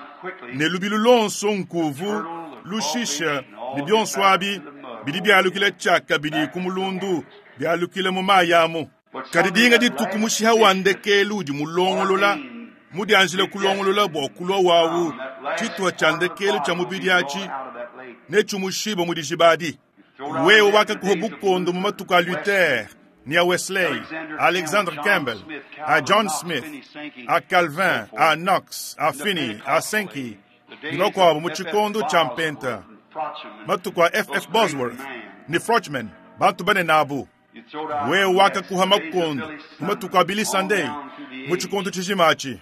ne lubilu lonso nkuvu lushisha ni bionso abi bidi byalukila tshaka bidi ku mulundu byalukila mu mayi amu. Kadi dinga dituku mushiha wa ndekelu udi mulongolola mudianjile kulongolola bua kulua wawu tshituha tshia ndekelu tshia mubidi atshi ne tshimushiba mu dijibadi. Wewe wakakuha bukondo mu matuku a Luther ni a Wesley, a Alexander Campbell, a John Smith, a Calvin, a Knox, a Finney, a Sankey ni bakuabu mu tshikondo tshia mpenta matuku a F F Bosworth ni Frochman bantu banene abu. Wewe wakakuha makondo mu matuku a Billy Sunday mu tshikondo tshijima atshi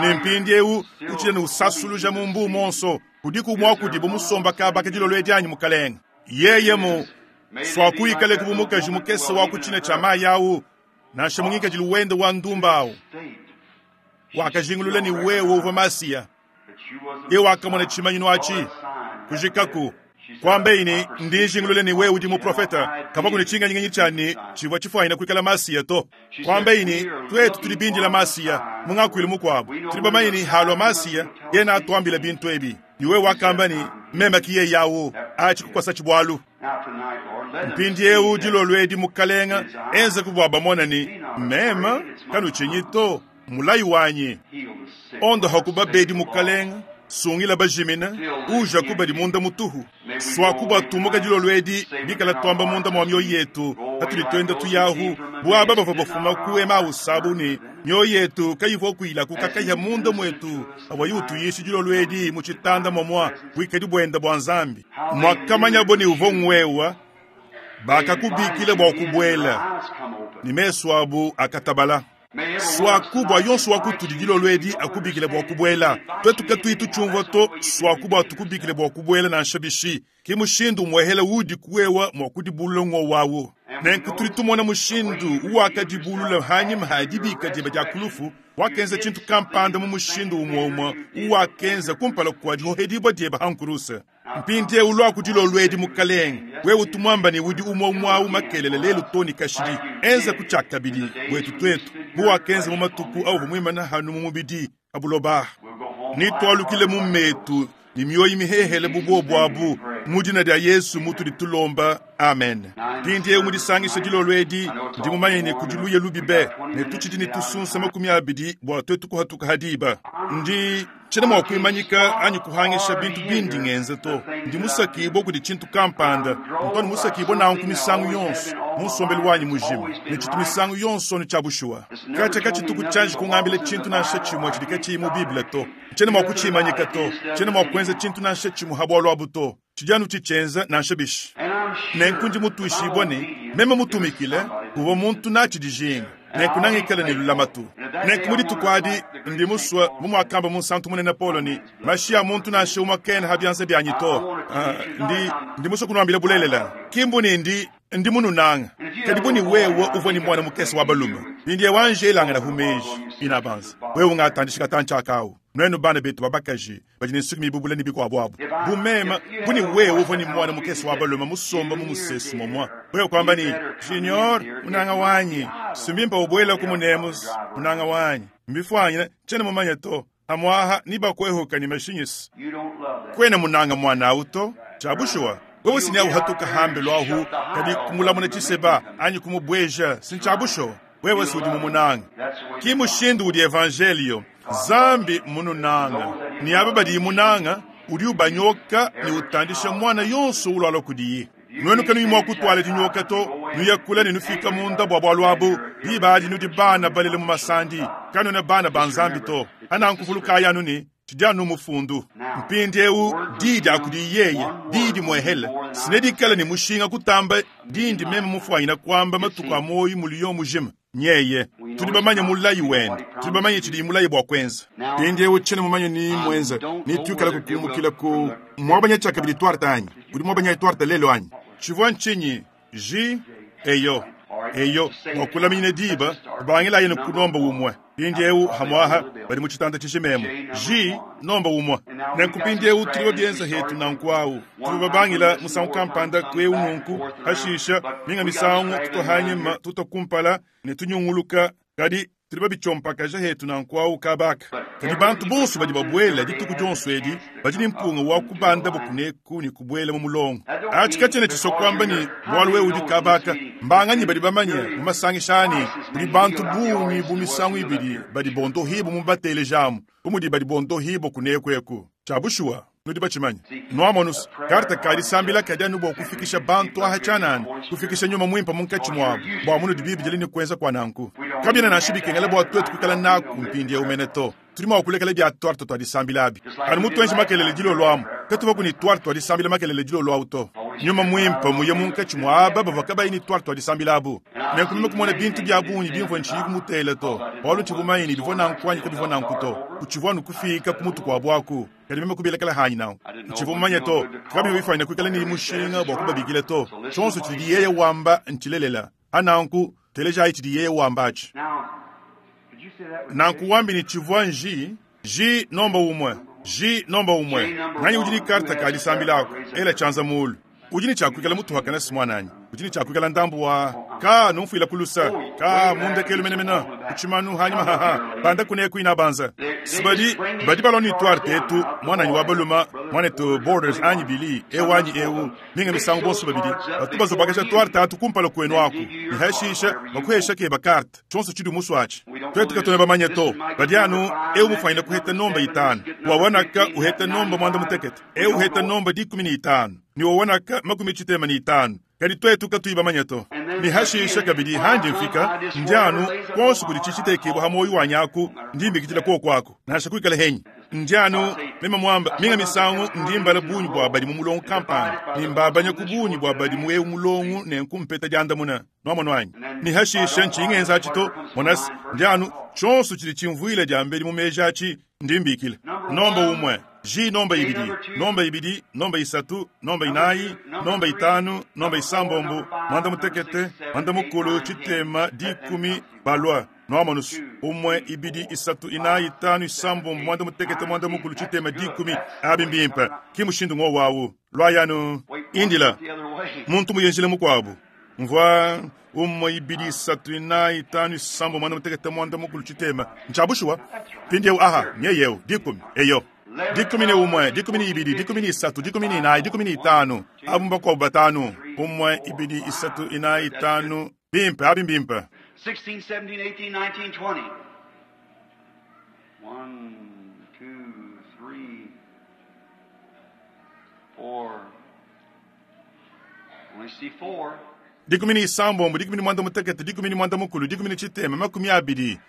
ne mpindieu utshile ne usasuluja mu mbu monso kudiku mua kudibu musomba kabaka dilolo edi anyi mukalenga. Yeye mu swakuikale kubu mukaji mukese wa kutshina tshia mayi awu nansha mungikadilu wende wa ndumba awu wakajingulula ni wewe uvua Masiya. Ye wakamona tshimanyinu atshi kujikaku kwamba ini ndinjingulule ni wewe udi muprofeta kama kuni tshinganyiganyi tshani tshivua tshifuanyina kuikala Masiya to kwamba ini twetu tuli bindila Masiya mungakuilu mukuabu tuli bamanye ni halwa Masiya yena atuambila bintu ebi ni wewe wakamba ni meme kiye yawo atshi kukwasa tshibwalu. Mpindieu dilolo edi mukalenga enza kubwa bamona ni meme kanutshinyi to mulayi wanyi ondo hakuba bedi mukalenga sungila bajimina uja kubadi munda mutuhu swakuba tumuka dilolo edi bikala twamba munda mwa mioyo yetu hatuli twenda tuyahu bwaba bava bafuma ku emausabu ni mioyo yetu kayivua kuila kukakaya munda mwetu awa yutuyishi dilolo edi mu tshitanda momwa bwikadi bwenda bwa Nzambi mwakamanya bo ni uvo ngwewa bakakubikile bwa kubwela ni meso abu akatabala. Swaku bwa yonso wa kutudi dilolo edi akubikile bwa kubwela twetu katuyi tutshiumvua to swaku bwa tukubikile bwa kubwela nansha bishi ki mushindu muehele udi kuwewa mua kudibulula ngo wawu. Nenku tudi tumona mushindu uwakadibulula hanyima ha dibika diebe dia kulufu, wakenza tshintu kampanda mu mushindu umwe umwe uwakenza kumpala kwa dihohedibwa diebe ha nkuruse. Mpindiewu lwaku dilolo edi mukalenge, wewe tumwamba ne udi umwe umwe awu makelele lelu toni kashidi, enza kutshiakabidi bwetu twetu, muwakenza mu matuku awu muimana hanu mu mubidi abuloba. Nitwalukile mu metu ni mioyo mihehele bubobo abu mu dina dia Yesu mutudi tulomba, amen. Mpindiewu mudisangisha dilolo edi, ndi mumanye ne kudiluye lubibe, ne tutshidi ne tusunsa makumi abidi bua twetu kuhatuka hadiba. Ndi tshena mua kuimanyika anyi kuhangisha bintu bindi ngenze to. Ndi musakibwa kudi tshintu kampanda, ntoni musakibwa nanku misangu yonso mu nsombelu wanyi mujima, ne tshitu misangu yonso ni tshia bushuwa. Katshia katshituku tshianji kungambila tshintu nansha tshimue tshidi katshiyi mu Bible to. Tshena mua kutshimanyika to, tshena mua kuenza tshintu nansha tshimue ha bualu abu to. Tshidi tshitshenza nansha bishi. Nenku ndi mutuishibwa ne meme mutumikile kuva muntu natshi dijinga, nenku nangikala ne lulamatu. Nenku mu dituku adi ndi musue mu muakamba mu nsantu munene Paulo ni mashi ya muntu nansha umwe kena ha bianza byanyi to. Uh, ndi ndi musue kunuambila bulelela, kimbu ni ndi ndi mununanga kadi buni wewe uvua ni mwana mukese wa balume bindiye wanje elangana humeji inabanza wewe ungatandishika tanchakawu nwenu bana betu babakaji badi ne nsuki mibubula ni bikwabo abo bumema buni wewe uvua ni mwana mukese wa balume musomba mu musesu momwa wewe kwamba ni junior munanga wanyi sumbimpa ubwela ku munemus munanga wanyi mbifwanyina tshena mumanya to amwaha nibakwehuka ni mashinyisi kwena munanga mwana auto chabushuwa wewe sini hatuka hambe lwahu kadi kumulamuna tshiseba anyi kumubweja sinchabusho wewe si udi mumunanga ki mushindu udi evangelio zambi mununanga ni aba badi munanga udi ubanyoka ni utandisha mwana yonso ulwala kudiyi nwenu kanu imwa kutwala dinyoka to nuyakula ne nufika munda bwa bwalu abu bibadi nudi bana balele mu masandi kanuna bana banzambi to anankuvuluka yanu ni tshidi mufundu mpindiewu didi akudi yeye didi mwehele sinedikala ni mushinga kutamba dindi meme mufwanyina kwamba matuku a moyo muliyo mujima nyeye tudi bamanye mulayi wende tudi bamanye tshidi mulayi bwa kwenza mpindiewu tshene mumanye ni mwenza ni twikala kukumukila ku mwabanya tshakabidi twarta anyi udi mwabanya twarta lelo anyi tshivua ntshinyi ji eyo eyo wakulamine diba kubangila yene kunomba umwe mpindiewu hamwaha bali mu tshitanda tshishimemo ji nomba umwe nenku mpindiewu tuliwo bienza hetu nanku awu tuli babangila musangu kampanda kweu nunku hashisha minga misangu tutohanyima tutokumpala ne tunyunguluka kadi tuli babitshompakaja hetu nanku awu kabaka kadi bantu bonso badi babwela dituku dionso edi badi ni mpunga wa kubanda bukuneku ni kubwela mu mulongo atshi katshiena tshisokwamba ni bualu wewe udi kabaka mbanganyi badi bamanye mu masangishani kudi bantu bungi bu misangu ibidi badi bondohibo mu batelejamu bumudi badi bondohibo kunekweku tshia nudi batshimanya nwamonus karta kadi sambila kadi anu bua kufikisha bantu aha tshianana kufikisha nyuma mwimpa munkatshi muabu bua munudi bibidile ni kuenza kwa nanku kabiena nansha bikengela bua twetu kuikala naku mpindiewu mene to tudi mua kulekela bia twarta twa disambila abi anu mutuenji makelele dilolo amu katuva kuni twarta twa disambila makelele dilolo awu to nyuma mwimpa muye munkatshi mua aba bavua kabayi ni twarta twa disambila abu nenku meme kumona bintu bia bungi bimvua ntshiyi kumutela to bualu ntshivumanyini bivua nanku anyi kabivua nanku to kutshivua nukufika ku mutu kua buaku kadi meme kubilekela hanyi nanku ntshivua mumanye to kabivua bifanyina kuikala ni mushinga bua kubabikila to tshionso tshidi yeye wamba ntshilelela ananku telejayi tshidi yeye wamba atshi nanku wambi ni tshivua nji ji nomba umwe ji nomba umwe nganyi udi ni karta ka disambila ela tshianza mulu udi ni tshiakuikala mutuhakana si mwananyi udi ni tshiakuikala ndambu wa ka numfuila kulusa ka mundekelu menemene kutshimanu hanyima haha banda kuneku ina banza sibadi badi balwa ni twarte tetu mwananyi wa baluma mwanetu borders anyi bili ewu anyi ewu minga misangu bonso babidi batu bazobakasha twarte atu kumpala kwenu aku ni hashisha bakuhesha ke bakarte tshonso tshidi musu atshi twetu katone bamanye to badi anu ewu mufanyina kuheta nomba itanu wawanaka uheta nomba mwanda mutekete ewu uheta nomba dikumi ni itanu ni wawanaka makumi tshitema ni itanu kadi twetu katuyi bamanye to ni hashisha kabidi handi mfika ndianu konso kudi tshitshitekebwa ha moyo wanyaku ndimbikitila kokwako nansha kuikala henyi Ndianu meme mwamba minga misangu ndimbala bunyi bwa badi mu mulongo kampani nimbabanya ku bunyi bwa badi mu ewu mulongo nenkumpeta dyandamuna nwamona ni hashisha nchingenza achito monasi ndianu chonso chili chimvwile dyambeli mu meji achi ndimbikile nomba umwe J nomba ibidi nomba ibidi nomba isatu nomba inayi nomba itanu nomba isambombo mwanda mutekete mwanda mukulu chitema dikumi balwa nwamonusu umwe ibidi isatu inayi itanu isambombo mwanda mutekete mwanda mukulu chitema dikumi abimbimpa kimushindu ngo wawu lwayanu indila muntu muyenjile mukwabu mvwa umwe ibidi isatu inayi itanu isambombo mwanda mutekete mwanda mukulu chitema nchabushuwa pindiewu aha nyeyewu dikumi eyo dikumi ne umwe dikumi ni ibidi dikumi ni isatu dikumi ni inayi dikumi ni itanu abumba kwa batanu umwe ibidi isatu inayi itanu bimpe abimbimpe sixteen, seventeen, eighteen, nineteen, twenty. One, two, three, four. Only see four. dikumi ni isambombo dikumi ni mwanda mutekete dikumi ni mwanda mukulu dikumi ni chitema makumi abidi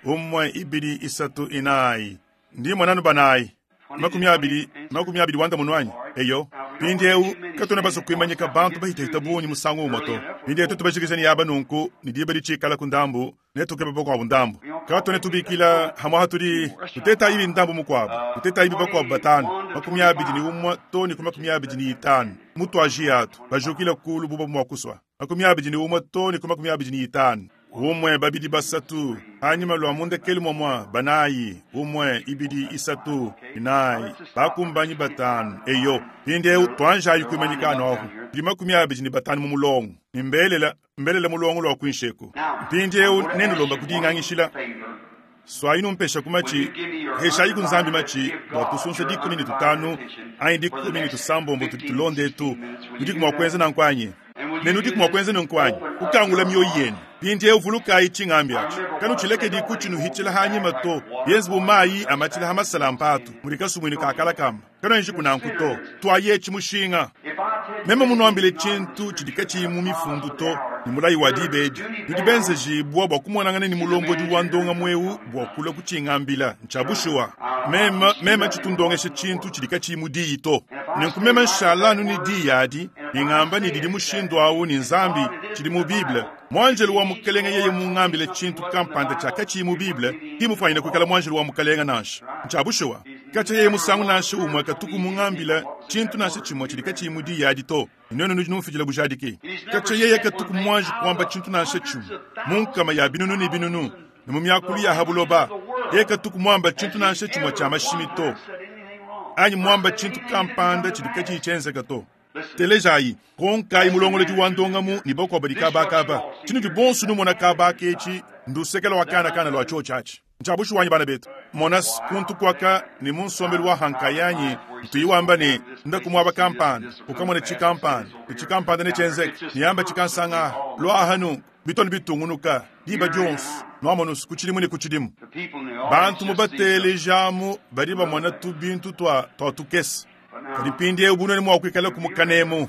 umwe ibidi isatu inayi ndi mwananu banayi makumi abiri makumi abiri wanda munwanyi eyo pindiewu katona baso kuimanyika bantu bahitahita bunyi musangu umoto pindiewu tutubashikisha yaba nunku ni diba licikala ku ndambu netukeba bakwabu ndambu katone tubikila hamwe hatuli tuteta ibi ndambu mukwabu tuteta ibi bakwabu batanu makumi abiri ni umwe toni ku makumi abiri ni itanu mutwaji atu bajukile kulu buba mwakuswa makumi abiri ni umwe toni ku makumi abiri ni itanu umwe babidi basatu hanyuma lwa mundekeli momwa banayi umwe ibidi isatu inayi bakumbanyi batanu eyo pindeu twanjayi kuimanyikano ahu ndi makumi abidi ni batanu mu mulongo nimbelela mbelela mulongo lwa kuinsheku mpindeu nenulomba kudingangishila swayi numpesha kumachi heshayi kunzambi machi bwa tusunsa dikumi ni tutanu ayi dikumi ni tusambombo tulonde etu nudiku mwakwenza nankwanyi nenudiku mwakwenza nankwanyi kukangula mioyo yenu pindie uvulukayi ching'ambi acho kanu chilekedi kuchinuhichila hanyima to yenzi bumayi amatila hamasala mpatu mulikasumwini kakala kamba kano enji kunanku to twaye chimushinga meme munuambile chintu chidika chimu mifundu to ni mulayi wa dibedi nudi jibwa bwa kumonangana ni mulombodi wa ndonga mwewu bwa kula kuching'ambila nchabushuwa meme meme chitundongeshe chintu chidika chimu diyi to nenkumema nshalanu ni diyi adi ning'amba ni didi mushindu awu ni nzambi chili mu bible mwanjelu wa mukalenga yeye mung'ambile chintu kampanda chakachiyi mu bible kimufanyile kuikala mwanjelu wa mukalenga nansha nchabushuwa kacha yeye musangu nansha umwe katuku mung'ambila chintu nansha chimwe chili kachiyi mu diyi adi to neno nudi numfijila bujadiki kacha yeye katuku mwanji kwamba chintu nansha chimwe munkama ya binunu ni binunu ni mu myakulu ya habuloba yeye katuku mwamba chintu nansha chimwe cha mashimi to anyi mwamba chintu kampanda chili kachiyi chenzeka to telejayi konkayi mulongoledi wa ndongamu ni bakwabo dikabakaba chinu dibonso numona kabaka echi ndusekela wa kana-kana lwa cho chachi nchabushu wanyi bana betu mona kuntu kwaka ni munsombelu wa hankayanyi ntuyiwamba ni ndakumwaba kampanda ukamona chikampanda ichikampanda nechenzeka niyamba chikansanga lwahanu bitoni bitungunuka diba dionso nwamonusu kuchilimu ni kuchilimu bantu mubatelejamu badi bamona tubintu twa twatukesa kadi pindiewu bunoni mwakwikala kumukanemu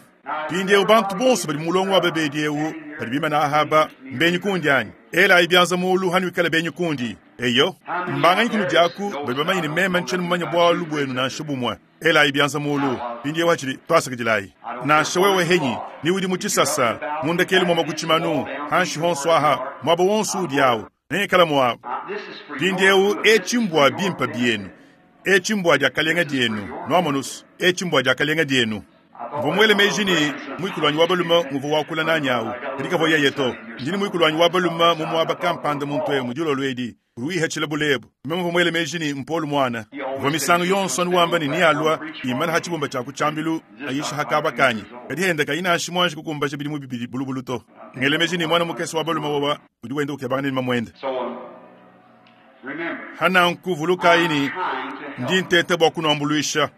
pindiewu bantu bonso badi mulongo wa babedi ewu badi bimana ahaba mbenyi kundi anyi ela ibyanza mulu hanu ikala benyi kundi eyo mbanganyi kunu diaku badi bamanyine meme ntsheni mumanya bwalu bwenu nansha bumwe ela ibyanza mulu pindiewu hachili twasakidilayi nansha wewe henyi ni udi muchisasa mundekeli mwama kuchimanu hanshi honso aha mwaba wonso udi awu nengikala mwabu pindiewu echimbwa bimpa byenu echimbwa diakalenga dienu nwamonusu echimbwa diakalenga dienu mvua mwele meji ni mwikulu wanyi wa balume muvua wakula nanyi awu kadi yeye to ndini mwikulu wanyi wa balume mumuaba kampanda muntu emu dilolo edi ruihetshile bulebu meme mvua mwele meji ni mpolu mwana mvua misangu yonso anuwamba ni nialua imana ha tshibumba tshia kutshambilu ayisha hakaba kanyi kadi henda kayinashi mwanji kukumbasha bilimu bibili bulubulu to ngele meji ni mwana mukese wa balume wawa udi wenda ukebanga ni mamwende hananku vulukayi ni ndi ntete bua kunuambuluisha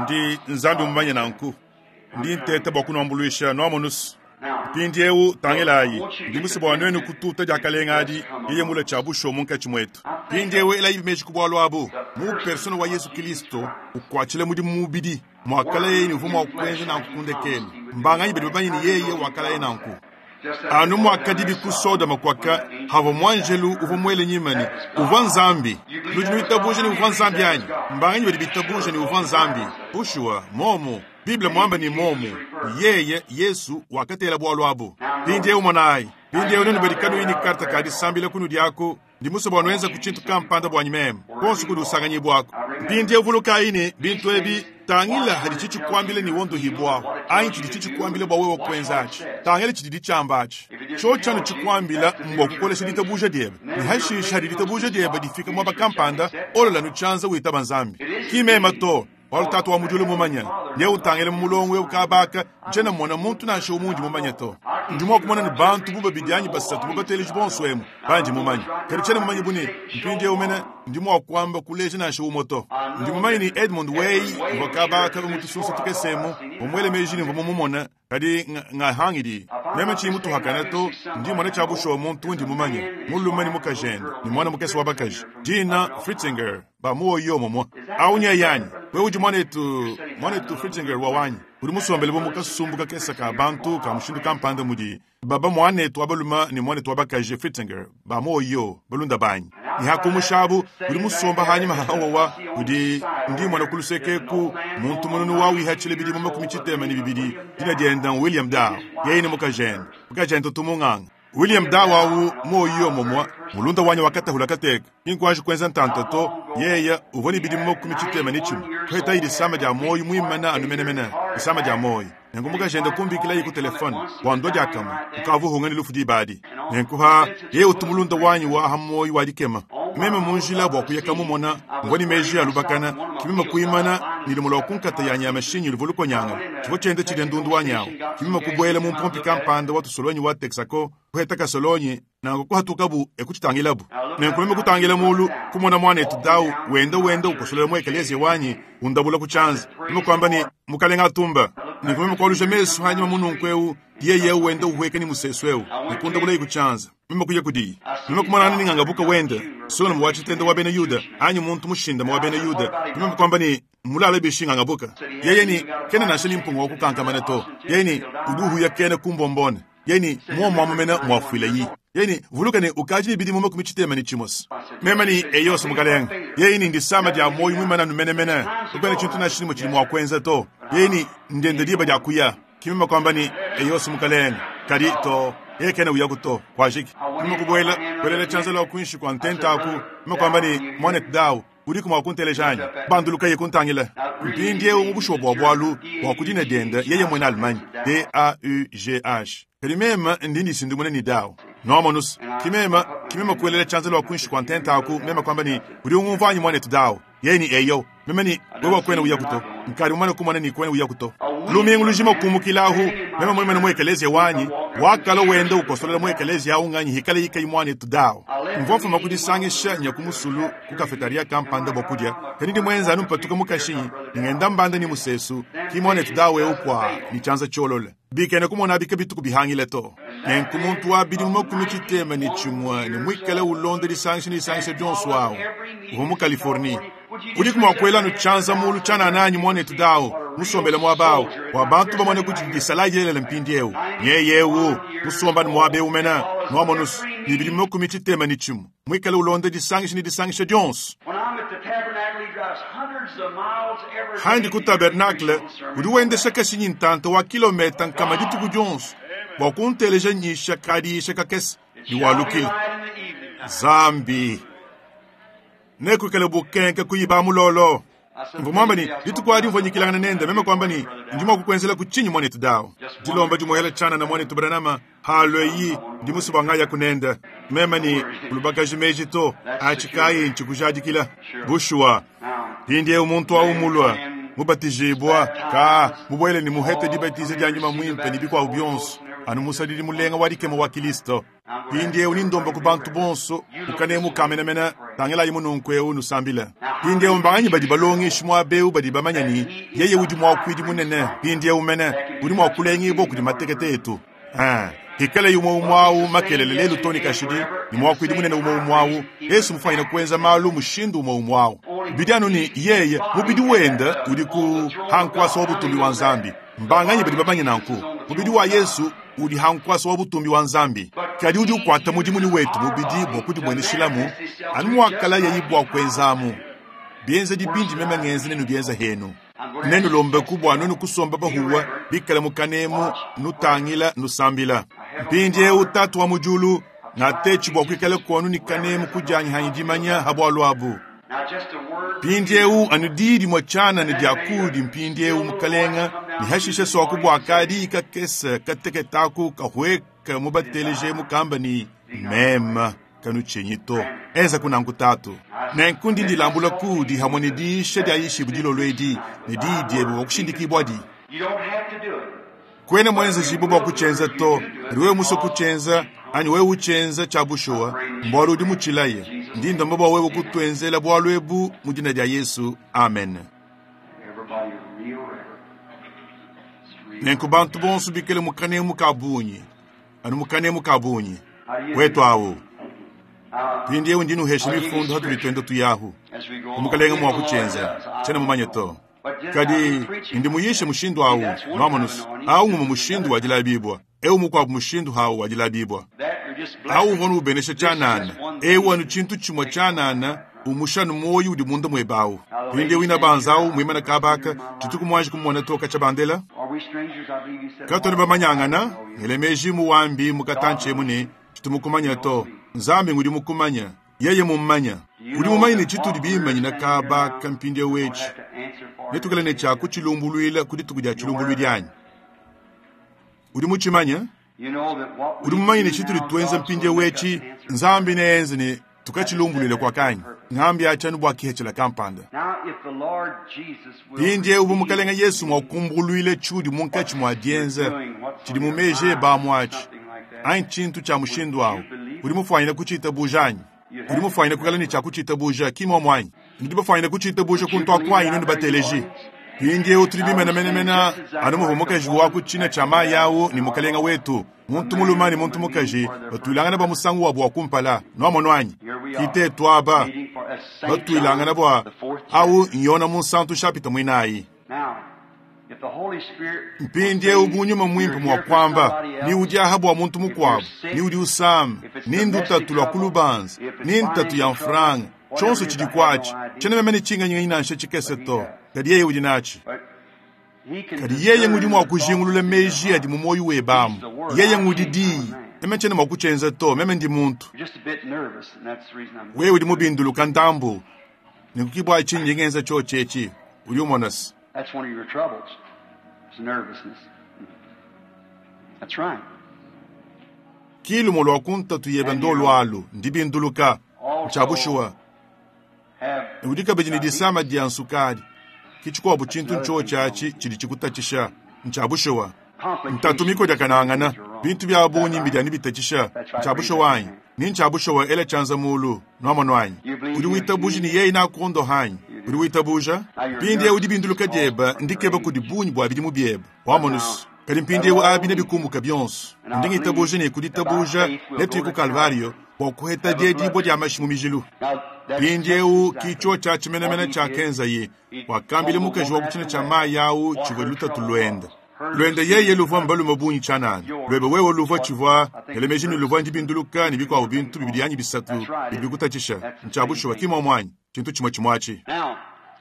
ndi nzambi mumanye nanku ndi ntete bua kunuambuluisha nuamonusu mpindiewu tangilayi ndi musi bua nuenu kututa diakalenga adi yeye mula tshia busho munkatshi muetu mpindiewu elayi meji ku bualu abu mu persona wa yesu kristo ukuatshile mudimu mubidi muakala yeye ni uvua mua kuenza nanku kundekelu mbanganyi badi bamanye ni yeye wakala ye nanku Anu mwakadibi ku Sodoma kwaka hava mwanjelu uvua mwele nyimani uvua Nzambi. Nudi nuitabuja ni uvua Nzambi anyi? Mbanganyi badi bitabuja ni uvua Nzambi? Bushuwa momo Bible mwamba ni momo yeye Yesu wakatela bwalu abu. Mpindiewu monayi, mpindiewu nenu badi kanuyi ni karta ka disambila kunu diaku ndi musue bua nuenza ku tshintu kampanda bwanyi meme konso kudi usanganyibwako. Mpindiewu vulukayi ne bintu ebi tangila hadi tshitshikwambile ni wondohibwako anyi tshidi tshitshikwambile bua wewe kuenzachi. Tangila tshidi ditshambachi cho tshanu tshikwambila mbwa kukolesha ditabuja diebe ni hashisha hadi ditabuja diebe difika mwaba kampanda olola nutshanza witaba Nzambi kimema to walu tatu wa mujulu mumanya ne utangile mu mulongo we ukabaka njena mona muntu nansha umundi mumanya to ndi mwa kumona ni bantu bu babidi anyi basatu bubateleji bonso emu bandi mumanya kadi tshena mumanya bune mpindiewu mene ndi mwa kuamba kuleja nansha umo to ndi mumanya ni Edmund Way uvua kabaka umutusunsa tukesemu umwele meji ni mvua mumumona kadi ngahangidi meme tshiyi mutuhakana to ndi mona tshia bushuwa muntu ndi mumanya mulume ni mukajende ni mwana mukese wa bakaji Dina Fritzinger ba muoyo momwa aunya yanyi we udi mwanetu mwanetu Fritzinger wa wanyi udi musombele bo mukasumbu kakesa ka bantu ka mushindu kampanda mudi baba mwanetu abaluma ni mwanetu wabakaji Fritzinger ba muoyo balunda banyi ni hakumushabu udi musomba hanyuma hawawa udi ndi mwana kulusekeku muntu mununu wawihatshile bidi mu makumi tshitema ni bibidi dina dienda William Dow yeye ni mukajende mukajende tumung'anga William Dow awu muoyo momwa mulunda wanya wakatahula kateka inkwaji kwenza ntanta to yeya uvua ni bidi mu makumi tshitema ni tshimwe kuheta ili sama dia moyo mwimana anu menemene isama dia moyo nenku mukajende kumbikila ku telefone wando diakama ukavuhunga ni lufu dibadi nenkuha yeye utumulunda wanyi wa aha moyo wadikema meme munjila bua kuyaka mumona ngwa ni meji alubakana kimima kuimana nilimula kunkata ya nyama shinyi luvo nyanga chivo chende chile ndundu wa nyawo kimima kubwela mu mpompi kampanda wa tusolonyi wa Texaco kuheta kasolonyi nango kuhatukabu ekuchitangilabu nenku meme kutangila mulu kumona mwanetu dawu wenda wenda ukosolela mu ekelezia wanyi undabula kuchanza meme kwamba ni mukalenga atumba nenku meme kwalusha mesu hanyuma mununku ewu yeye wenda uhueka ni musesu ewu nikundabula ikuchanza meme kuya kudiyi meme kumonana ningangabuka wenda sona muwachitenda wa bena Yuda anyi muntu mushinda wa bena Yuda meme kwamba ni mulala bishingangabuka yeye ni kena nasha ni mpunga wa kukankamana to yeye ni uduhu ya kena kumbombone yeye ni muo mwamumena mwafuile yi yeye ni vuluka ni ukaji bidi mume kumichitema ni chimosi meme ni eyoso mukalenga yeye ni ndisama dia moyo mwimana numenemene ukwene chintu na shilimo chili mwakwenza to yeye ni ndende diba dia kuya kimema kwamba ni eyoso mukalenga kadi to yeye kena uya kuto kwajiki meme kubwela bwelela chanza la kuinshi kwa ntenta aku meme kwamba ni mwanet dawu udi kumwa kuntelejanya banduluka ye kuntangila mpindiewu mu bushuwa bwa bwalu bwa kudina dienda yeye mwene Allemagne D A U G H kadi mema ndi ndisindumune ni dawu nomonus kimema kimema kuelela chanza lwa kuinshi kwa ntenta aku mema kwamba ni udi ungumvanyi mwanetu dawu yeye ni eyo meme ni wewe kwena uya kuto nkari umane kumona ni kwena uya kuto lumingu lujima kumukilahu meme mwimene mu ekelezia wanyi wakala wenda ukosolela mu ekelezia awu nganyi hikale yika imwanetu dawu mvofuma kudisangisha nya kumusulu ku kafetaria kampanda bwa kudya kadi ndi mwenza anu mpatuka mukashinyi ningenda mbanda ni musesu kimwanetu dawu ewu kwa ni chanza cholole bikene kumona bika bituku bihangile to nenku muntu wa bidi mu makumi tshitema ni tshimwe ni mwikale ulonde disangisha ni disangisha dionso awu uvua mu Californie udi kumwakwela nu chanza mulu tshanananyi mwanetu dawu musombele mwabawu bua bantu bamone kuti disala yelela mpindiewu nyeyewu musombani mwabewu mena nwamonusu ni bidi mu makumi tshitema ni tshimwe mwikale ulonde disangisha ni disangisha dionso When I'm at the tabernacle, he drives hundreds of miles every handi day ku to hear me tabernacle preach on sermon. udi wendesha kashinyi ntanta wa kilometa nkama dituku dionso bua kunteleja nyisha kadiisha kakese It shall be niwalukile light in the evening. Zambi nekwikale bukenke kuyiba mulolo mvua mwamba ni dituku adi mvua nyikilangana nenda meme kwamba ni ndi mwa kukwenzela kuchinyi mwanetu dawu dilomba dimuhela tshana na mwanetu Branhama halo eyi ndi musuba ngaya kunenda meme ni kulubakaji meji to achikayi nchikujadikila bushuwa pindiewu muntu awu mulwa mubatijibwa ka mubwele ni muhete dibatize dia nyuma mwimpe ni bikwabu bionso anu musadidi mulenga wa dikema wa Kilisto pindiewu ni ndomba ku bantu bonso ukanemu kamenamena tangelayi mununku ewu nusambila pindiewu mbanganyi badi balongeshi muabewu badi bamanya ni yeye udi muakuidi munene pindiewu mene udi muakulengibwa kudi matekete etu Ah, hikale umwe umwawu makelele lelu toni kashidi ni mwakuidi munene umwe umwawu Yesu mufanyine kuenza malu mushindu umwe umwawu bidi anu ni yeye mubidi wenda udi ku hankwasa wa butumbi wa Nzambi mbanganyi badi bamanye nanku mubidi wa Yesu Udi ha nkwasa wa butumbi wa Nzambi. Kadi udi ukwata mudimu ni wetu mubidi bwa kudimueneshilamu, anu mwakala yayi bwa kwenzamu. Bienza dibindi meme ngenze nenu bienza henu. Nenu lombe kubwa nenu kusomba bahuwa bikala mukanemu nutangila nusambila. Mpindiewu tatu wa mujulu ngatechi bwa kwikala kwanu ni kanemu kujanyi hanyi dimanya habwalu abu. Mpindiewu anu didi mwa chana ni diakudi mpindiewu mukalenga ni hashishe swaku bwa kadi ikakesa kateketaku kahweka mubateleje mukamba ni mema kanu chenyi to. Eza kunangu tatu. Nenkundi ndilambula kudi hamwe ni diisha dia ishibu dilolwedi ni didi ebu wakushindikibwa di. Kwene mwenze jibu bwa kuchenza to, riwe muso kuchenza, anyi wewe uchenza cha bushuwa, mbwalu udi muchilaye. Ndi ndomba bwa wewe kutwenzela bwalu ebu mu jina dia Yesu. Amen. Nenku bantu bonso bikele mukanemu kabunyi. Anu mukanemu kabunyi. Wetu awu. Pindiewu ndinu hesha mifundu hatuli twenda tuyahu. Umukalenga mwa kuchenza. Chena mumanye to. Kadi ndi muyishe mushindu awu nwamonusu. Awu ngumu mushindu wa dilabibwa. Ewu mukwabu mushindu hawu wa dilabibwa. Awu mvonu ubenesha chanana. Ewu anu chintu chimwe chanana umushanu moyo udi munda mwebawu. Pindiewu ina banzawu mwimana kabaka chituku mwanji kumwona toka chabandela. Katoni bamanyangana ngelemeji muwambi mukatanche mune chitumukumanya to. Nzambi ngudi mukumanya yeye mummanya udi mumanye ne chitudi bimanyi na kabaka mpindiewu wechi netukala ne chaku chilumbulwila kudi tuku dia chilumbulwili anyi udi muchimanya udi mumanye ne chitudi twenza mpindiewu wechi Nzambi neenze ne tukachilumbulwile kwa kanyi ngambi achanu bwa kihechela kampanda mpindiewu bumukalenga Yesu mwakumbulwile chudi munkachi mwa dienza chidi mumeje ba mwachi anyi chintu cha mushindu awu udi mufwanyina kuchita bujanyi udi mufwanyina kukala ni cha kuchita buja kimwa mwanyi ndi bafwanyina kuchita buja kuntu akwanyi noni bateleji mpindiewu tuli bimenemenemena anu muvu mukaji waku china cha mayi awu ni mukalenga wetu muntu muluma ni muntu mukaji batwilangana ba musangu wabu wa kumpala nwamono anyi kitetu aba batwilangana bwa awu nyona munsantu shapita mwinayi mpindiewu bunyuma mwimpe mwa kwamba ni udi aha bwa muntu mukwabu ni udi usama ni ndutatu lwa kulubanza ni ntatu ya mfranga chonso chidi kwachi chene meme ni chinganyinganyi nansha chikese to kadi yeye udi nachi kadi yeye ngudi mwa kujingulula meji adi mu moyo webamu yeye ngudi diyi meme chene mwa kuchenza to meme ndi muntu wewe udi mubinduluka ndambu nikukibwa chinyi ngenza chochechi uli umonasi. That's one of your troubles. It's nervousness. That's right. Kilumo lwa kuntatu yebe ndo lwalu ndibinduluka nchabushuwa udi kabidi ni disama dia nsukadi kichikwabu chintu nchochachi chili chikutachisha nchabushuwa ntatu miko diakanangana bintu bya bunyi mbidyani bitachisha nchabushuwa anyi ni nchabushuwa ela chanza mulu nwamono anyi udi witabuji ni yeyi nakondo hanyi udi witabuja mpindiewu dibinduluka dieba ndikeba kudi bunyi bwa bidimu bieba wamonusu kadi mpindiewu abi nebikumbuka bionso ndi ngitabuja ne kuditabuja netuyi ku Kalvario bwa kuheta diedibwa dia mashi mu mijilu. Mpindiewu kicho cha chimenemene cha kenzaye wakambile mukaji wa kuchina cha mayi awu chivwa lutatu lwenda lwenda yeye luvwa mbalume bunyi chanana lwebe wewe luvwa chivwa elemeji ni luvwa ndibinduluka ni bikwabu bintu bibili yanyi bisatu bibikutachisha nchabushuwa kimwa mwanyi chintu chimwe chimwachi.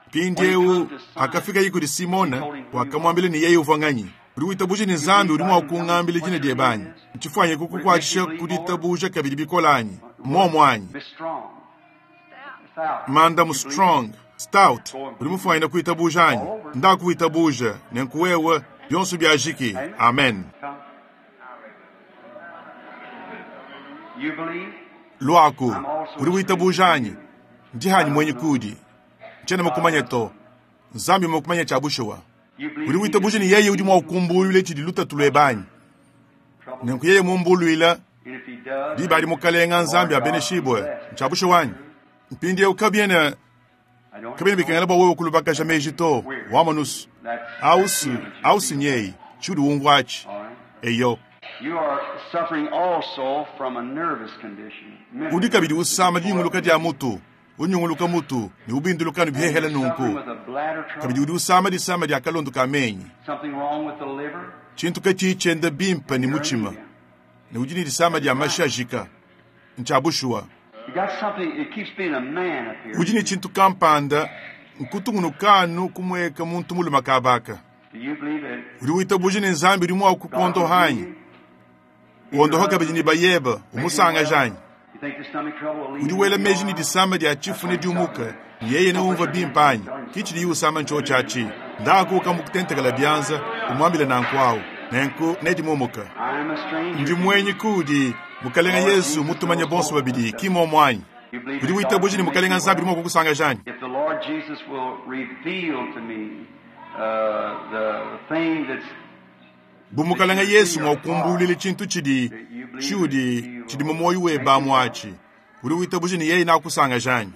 Mpindiewu akafika yikuli Simona wakamwambile ni yeye uvwanganyi uri witabuja ni Nzambi uri mwakungambile jina dyebanyi nchifwanye kukukwachisha kuditabuja kabili bikolanyi momwanyi Madam Strong Stout uri mufwanyina kuitabuja anyi ndakuitabuja nenkuwewe byonso byajiki. Amen. Lwaku uri witabuja anyi ndi hanyi mwenye kudi nchene mukumanya to Nzambi mukumanya chabushuwa uri witabuja ni yeye udi mwakumbulwile chidi lutatu lwebanyi nenku yeye mumbulwila diba ali mukalenga Nzambi abeneshibwe nchabushuwa anyi mpindiewu kabyena kabyena bikengela bwa wewe kulubakasha meji to wamonusu ausu ausinyeyi chudi wungwachi eyo. Udi kabidi usama dinyunguluka dia mutu unyunguluka mutu ni ubinduluka ni bihehela nunku kabidi udi usama disama dia kalondo ka menyi. Tshintu katshiyi tshienda bimpe ne mutshima. Ne udi ne disama dia mashi ajika. Ntshia bushuwa. You got something, it keeps being a man up here. Udi ne tshintu kampanda nkutungunukanu kumueka muntu mulume kabaka. Do you believe it? Udi witabuja ne Nzambi udi mua kukondoha anyi? Wondoha kabidi ne bayeba, umusanga anyi? You think the stomach trouble will leave Udi you? wela meji ne disama dia tshifu ne diumuka, yeye ne umva bimpe anyi? Kitshidi usama ntsho tshiatshi. Ndaku kamukutentekela bianza, umuambile nanku awu. Nenku nedimumuka. I'm a stranger. Ndi mwenyi kudi Mukalenga Yesu mutumanye bonso babidi kimomo anyi? You believe Udi that witabuja God ne can Mukalenga make you Nzambi well? udi mua kukusanga anyi? If the Lord Jesus will reveal to me uh, the thing that's Bu Mukalenga Yesu mua kumbulula tshintu tshidi tshiudi tshidi mu moyo weba amwatshi. Udi witabuja ne yeye nakusanga anyi?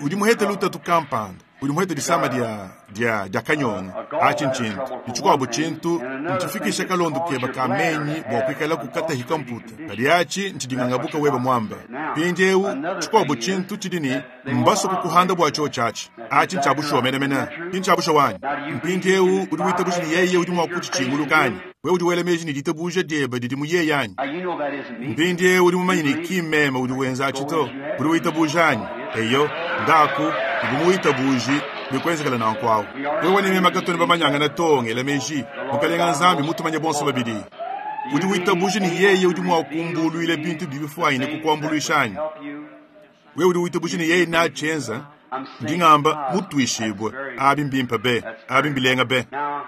Udi muhete lutatu kampanda. Udi muhete disama dia dia dia kanyonga. Atshi ntshintu. Ntshikwabo tshintu ntshifikisha kalondo keba kamenyi bua kuikala kukatahika mputa. Kadi atshi ntshidingangabuka weba mwamba. Mpindiewu tshikwabo tshintu tshidi ne mbaso kukuhanda bua tsho tshiatshi. Atshi ntshiabushuwa menemene. Ki ntshiabushuwa wanyi. Mpindiewu udi witabuja ne yeye udi mua kutshitshinguluka anyi? Wewe udi wela meji ne ditabuja diebe didi mu yeye anyi? Now, you know that isn't me. Mpindiewu udi mumanye ne ki meme udi wenza atshi to. Udi witabuja anyi? Eyo, ndaku, udi muwitabuji bikwenzekela nanku awu. Wewe ne meme katoni bamanyangana to ngela meji. Mukalenga Nzambi mutumanye bonso babidi. Udi witabuja ne yeye udi mua kumbuluila bintu bibifuanyine kukuambuluisha anyi? Help you. Wewe udi witabuja ne yeye natshienza, ndingamba mutwishibwe abi mbimpe be, abi mbilenga be. Now,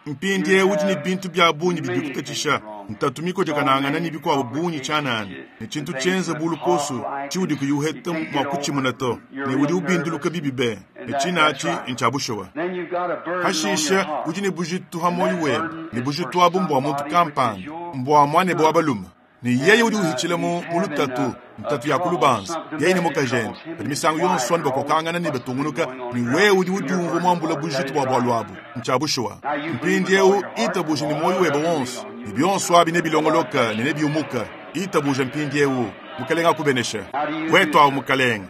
Mpindiewu udi ne bintu bya bungi bidi bikutatshisha ntatu mikotekanangana ne bikwabo bungi tshianana ne tshintu tshienza bulukoso tshiudi kuyuheta mua kutshimuna to ne udi ubinduluka bibi be ne tshinatshi ntshia bushuwa. then you've got a burden on your Hashisha heart. udi ne bujitu ha moyo webe ne bujitu abu mbua muntu kampanda mbua muanebe wa balume ne yeye udi uhitshila mu mu lutatu ntatu ya kulubanza yeye ne mukajende badi misangu yonso anu bakokangana ne batungunuka ne wewe udi udiumvua muambula bujitu bua bualu abu ntshia bushuwa. Mpindiewu itabuja ne moyo webe wonso ne bionso abi nebilongoloka ne nebiumuka. Itabuja mpindiewu Mukalenga akubenesha. Wetu awu Mukalenga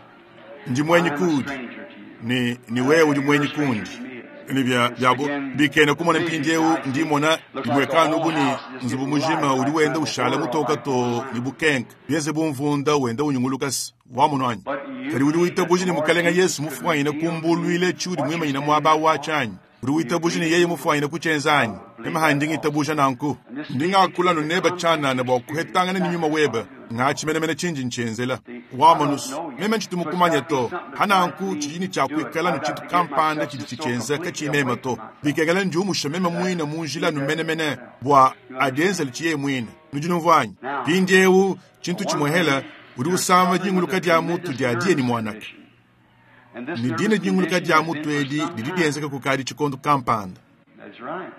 ndi mwenyi I'm a kudi stranger to you. ni ni wewe udi mwenyi kundi ni bya byabo bikene kumona mpindiewu ndimona dimwekano ubu ni nzubu mujima udi wenda ushala mutoka to ni bukenke bienze bumvunda wenda unyungulukasi wamono anyi kadi udi witabuja ne Mukalenga Yesu mufuanyine kumbuluile tshiudi muimanyine muaba watshi anyi? Udi witabuja ne yeye mufuanyine kutshienza anyi? Meme ndinga itabuja nanku. Ndingakula nuneba tshianana bua kuhetangana ne nyuma webe ngatshimenemene tshindi ntshenzela. Wamonusu meme ntshitumukumanya to hananku tshidini tshia kuikala ne tshintu kampanda tshidi tshitshienza katshimema to. Bikengela ndiumusha meme muine mu njila numenemene bua adienzele tshiye muine. Nudi numvua anyi? Mpindiewu tshintu tshimuhela udi usama dinguluka dia mutu dia diye ni mwanaka. And this Ne nervous dina dinguluka condition dia has mutu been for edi some didi time. dienzeka kukadi tshikondo kampanda. That's right.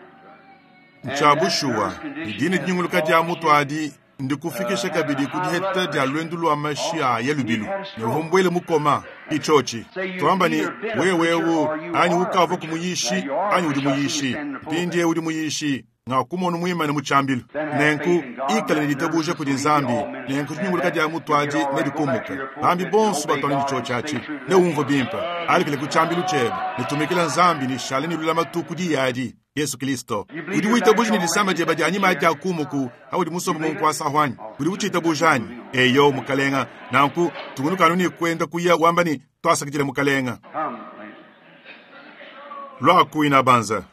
Ntshia bushuwa ne dina dinguluka dia mutu adi ndikufikisha kabidi ku diheta dia lwendu lwa mashi a ya lubilu ne uhombwele mukoma ichochi twamba ni wewewu anyi ukava kumuyishi anyi udi muyishi mpindie udi muyishi ngakumona muimane mu tshiambilu nenku ikala ne ditabuja kudi Nzambi nenku dinyunguluka dia mutu adi nedikumuka bambi bonso batwana ne tshotsho atshi ne umva bimpe alikile ku tshiambilu tshiebe nitumikila Nzambi nishale ne lulamatu kudi yadi Yesu Kristo. Udi witabuja ne disama diebe dia anyima dia kumuku audi musombe mu nkuasa hwanyi udi utshiitabuja anyi? Eyo Mukalenga nanku tungunukanu ne kwenda kuya wamba ni twasakidile Mukalenga. Come, lady. Lwakuina banza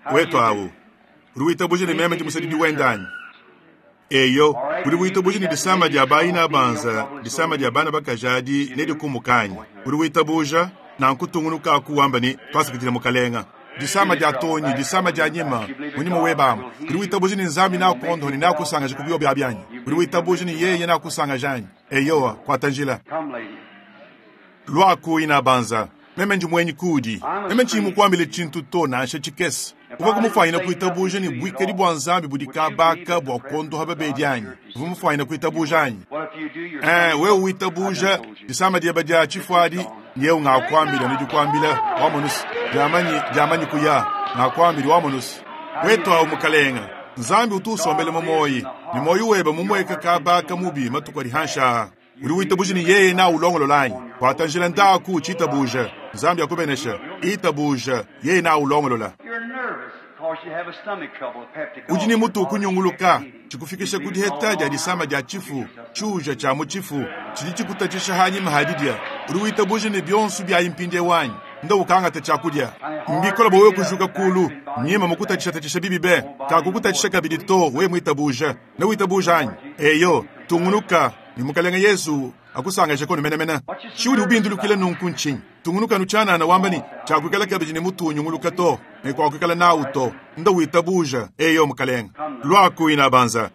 How do wetu you do? awu udi witabuja ne meme ndimusadidi wenda anyi? Eyo udi witabuja ne disama dia bayina banza disama dia bana bakajadi nedikumuka anyi? Udi witabuja nanku tungunukaku wamba ni twasakidile Mukalenga. Disama dia tonyi disama dia nyima munyima webama udi witabuja ne Nzambi nakuondoha ne nakusangaja ku biobi abyanyi udi witabuja ne yeye nakusangaja anyi? Eyowa kwata njila. Come, lady. Lwakuina banza meme ndi mwenyi kudi meme ntshimukwambile tshintu to nansha tshikese uva kumufanyina kuitabuja ne buikadi bua Nzambi budi kabaka bua kondoha babedi anyi? Uva mufanyina kuitabuja anyi? Well, if you do, your Eh, wewe witabuja disama diebe dia tshifuadi nyeu ngakwambila nidikwambila wamonusu diamanyi diamanyi kuya ngakwambila wamonusu wetu awu Mukalenga Nzambi utu usombele mu moyi ne moyi webe mumweka kabaka mubi matuku adi hansha udi witabuja ne yeye na ulongolola anyi? Kwata njila ndaku utshitabuja Nzambi akubenesha itabuja yeye na ulongolola. You're nervous because Udi ne mutu ukunyunguluka, tshikufikisha ku diheta dia disama dia tshifu, tshiuja tshia mu tshifu, tshidi tshikutatshisha hanyima ha didia. Udi witabuja ne bionso byayi mpindiewu anyi? Nda ukangata tshiakudia. Mbikola bua wewe kujuka kulu, nyima mukutatshisha bibi be, kakukutatshisha kabidi to, wewe mwitabuja. Ne witabuja anyi? Eyo, tungunuka ni mukalenge Yesu akusangaje kono menemene. Tshiudi ubindulukile nunku ntshinyi? Tungunuka nutshianana wamba ni tshiakuikala kabidi ne mutu unyunguluka to, ne kuakuikala nawu to. Nda witabuja, eyo mukalenge. Lwaku ina banza.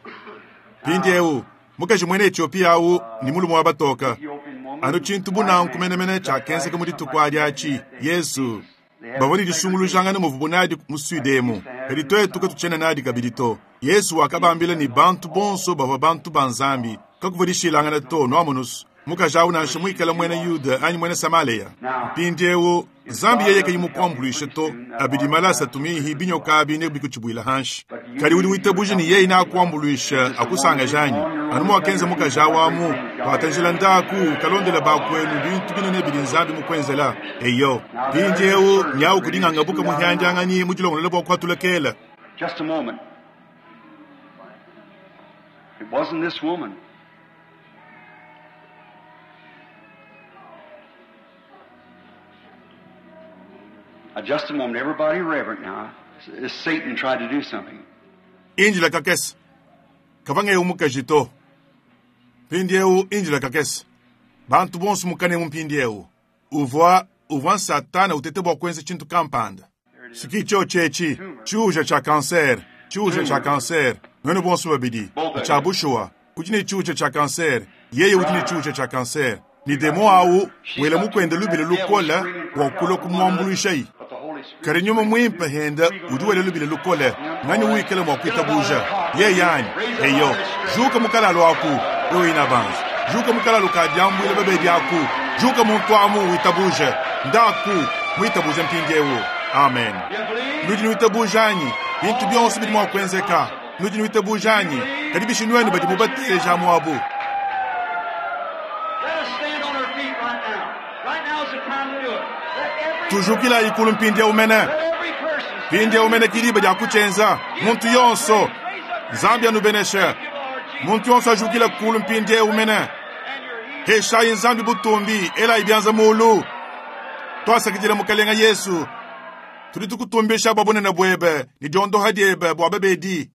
Mpindiewu, mukaji mwene Ethiopia awu ni mulume wa batoka. Anu tshintu bunanku menemene tshiakenzeka mu dituku adi atshi, Yesu. Bavua ne disungulujangana muvu bunadi mu Sudemu. Kadi tuetu katutshiena nadi kabidi to. Yesu wakabambila ne bantu bonso bavua bantu ba Nzambi. Kakuvua dishilangana to, nuamonusu. Mukaji awu nansha muikala mwena Yuda anyi mwena Samaria. Mpindiewu, Nzambi yeye kayi mukuambuluishe to, abidi malasa tumihi binyoka abi ne bikutshibuila hanshi. Kadi udi witabuja ne yeye nakuambuluisha akusangaja anyi? Anu muakenza mukaji awu amu, watanjila ndaku kalondela bakwenu bintu binene bidi Nzambi mukwenzela. Eyo, mpindiewu nyawu kudinganga buka muhyandianganyi mu dilongolola bua kuatulekela. Just a moment. It wasn't this woman. Now, just a moment, everybody reverent now. As Satan tried to do something. Injila kakese. Kavange umukaji to. Mpindiewu injila kakese. Bantu bonso mukane mu mpindiewu. Uvua uvua Satana utete bua kuenza tshintu kampanda. Siki tshio tshetshi, tshiuja tshia cancer, tshiuja tshia cancer. Nwenu bonso babidi, tshia bushuwa. Udi ne tshiuja tshia cancer, yeye udi ne tshiuja tshia cancer. Ni demo awu wela mukwenda lubila lukola bua kulua kumuambuluishayi. Kadi nyuma mwimpe henda udi wela lubila lukole, ngani wikala mua kuitabuja. Yeye anyi, eyo, juka mukalalo aku, wewe ina banza. Juka mukalalo ka diambuila babedi aku, juka muntu amu witabuje. Ndaku, mwitabuje mpindiewu. Amen. Nudi nwitabuja anyi? Bintu bionso bidi mua kuenzeka. Nudi nwitabuja anyi? Kadi bishi nwenu badi mubateja muabu. Let us stand on our feet right now. Right now is the time to do it. Let every, Tujukila ikulu mpindiewu mene. let every person stand. Mpindiewu mene kiliba dia kutshenza. Muntu yonso. Nzambi anubeneshe. Muntu yonso ajukila kulu mpindiewu mene. Heshayi Nzambi butumbi, ela ibyanza mulu. Twasakidila mukalenga Yesu. Tudi tukutumbisha bua bunene buebe, ne diondoha diebe bua babedi.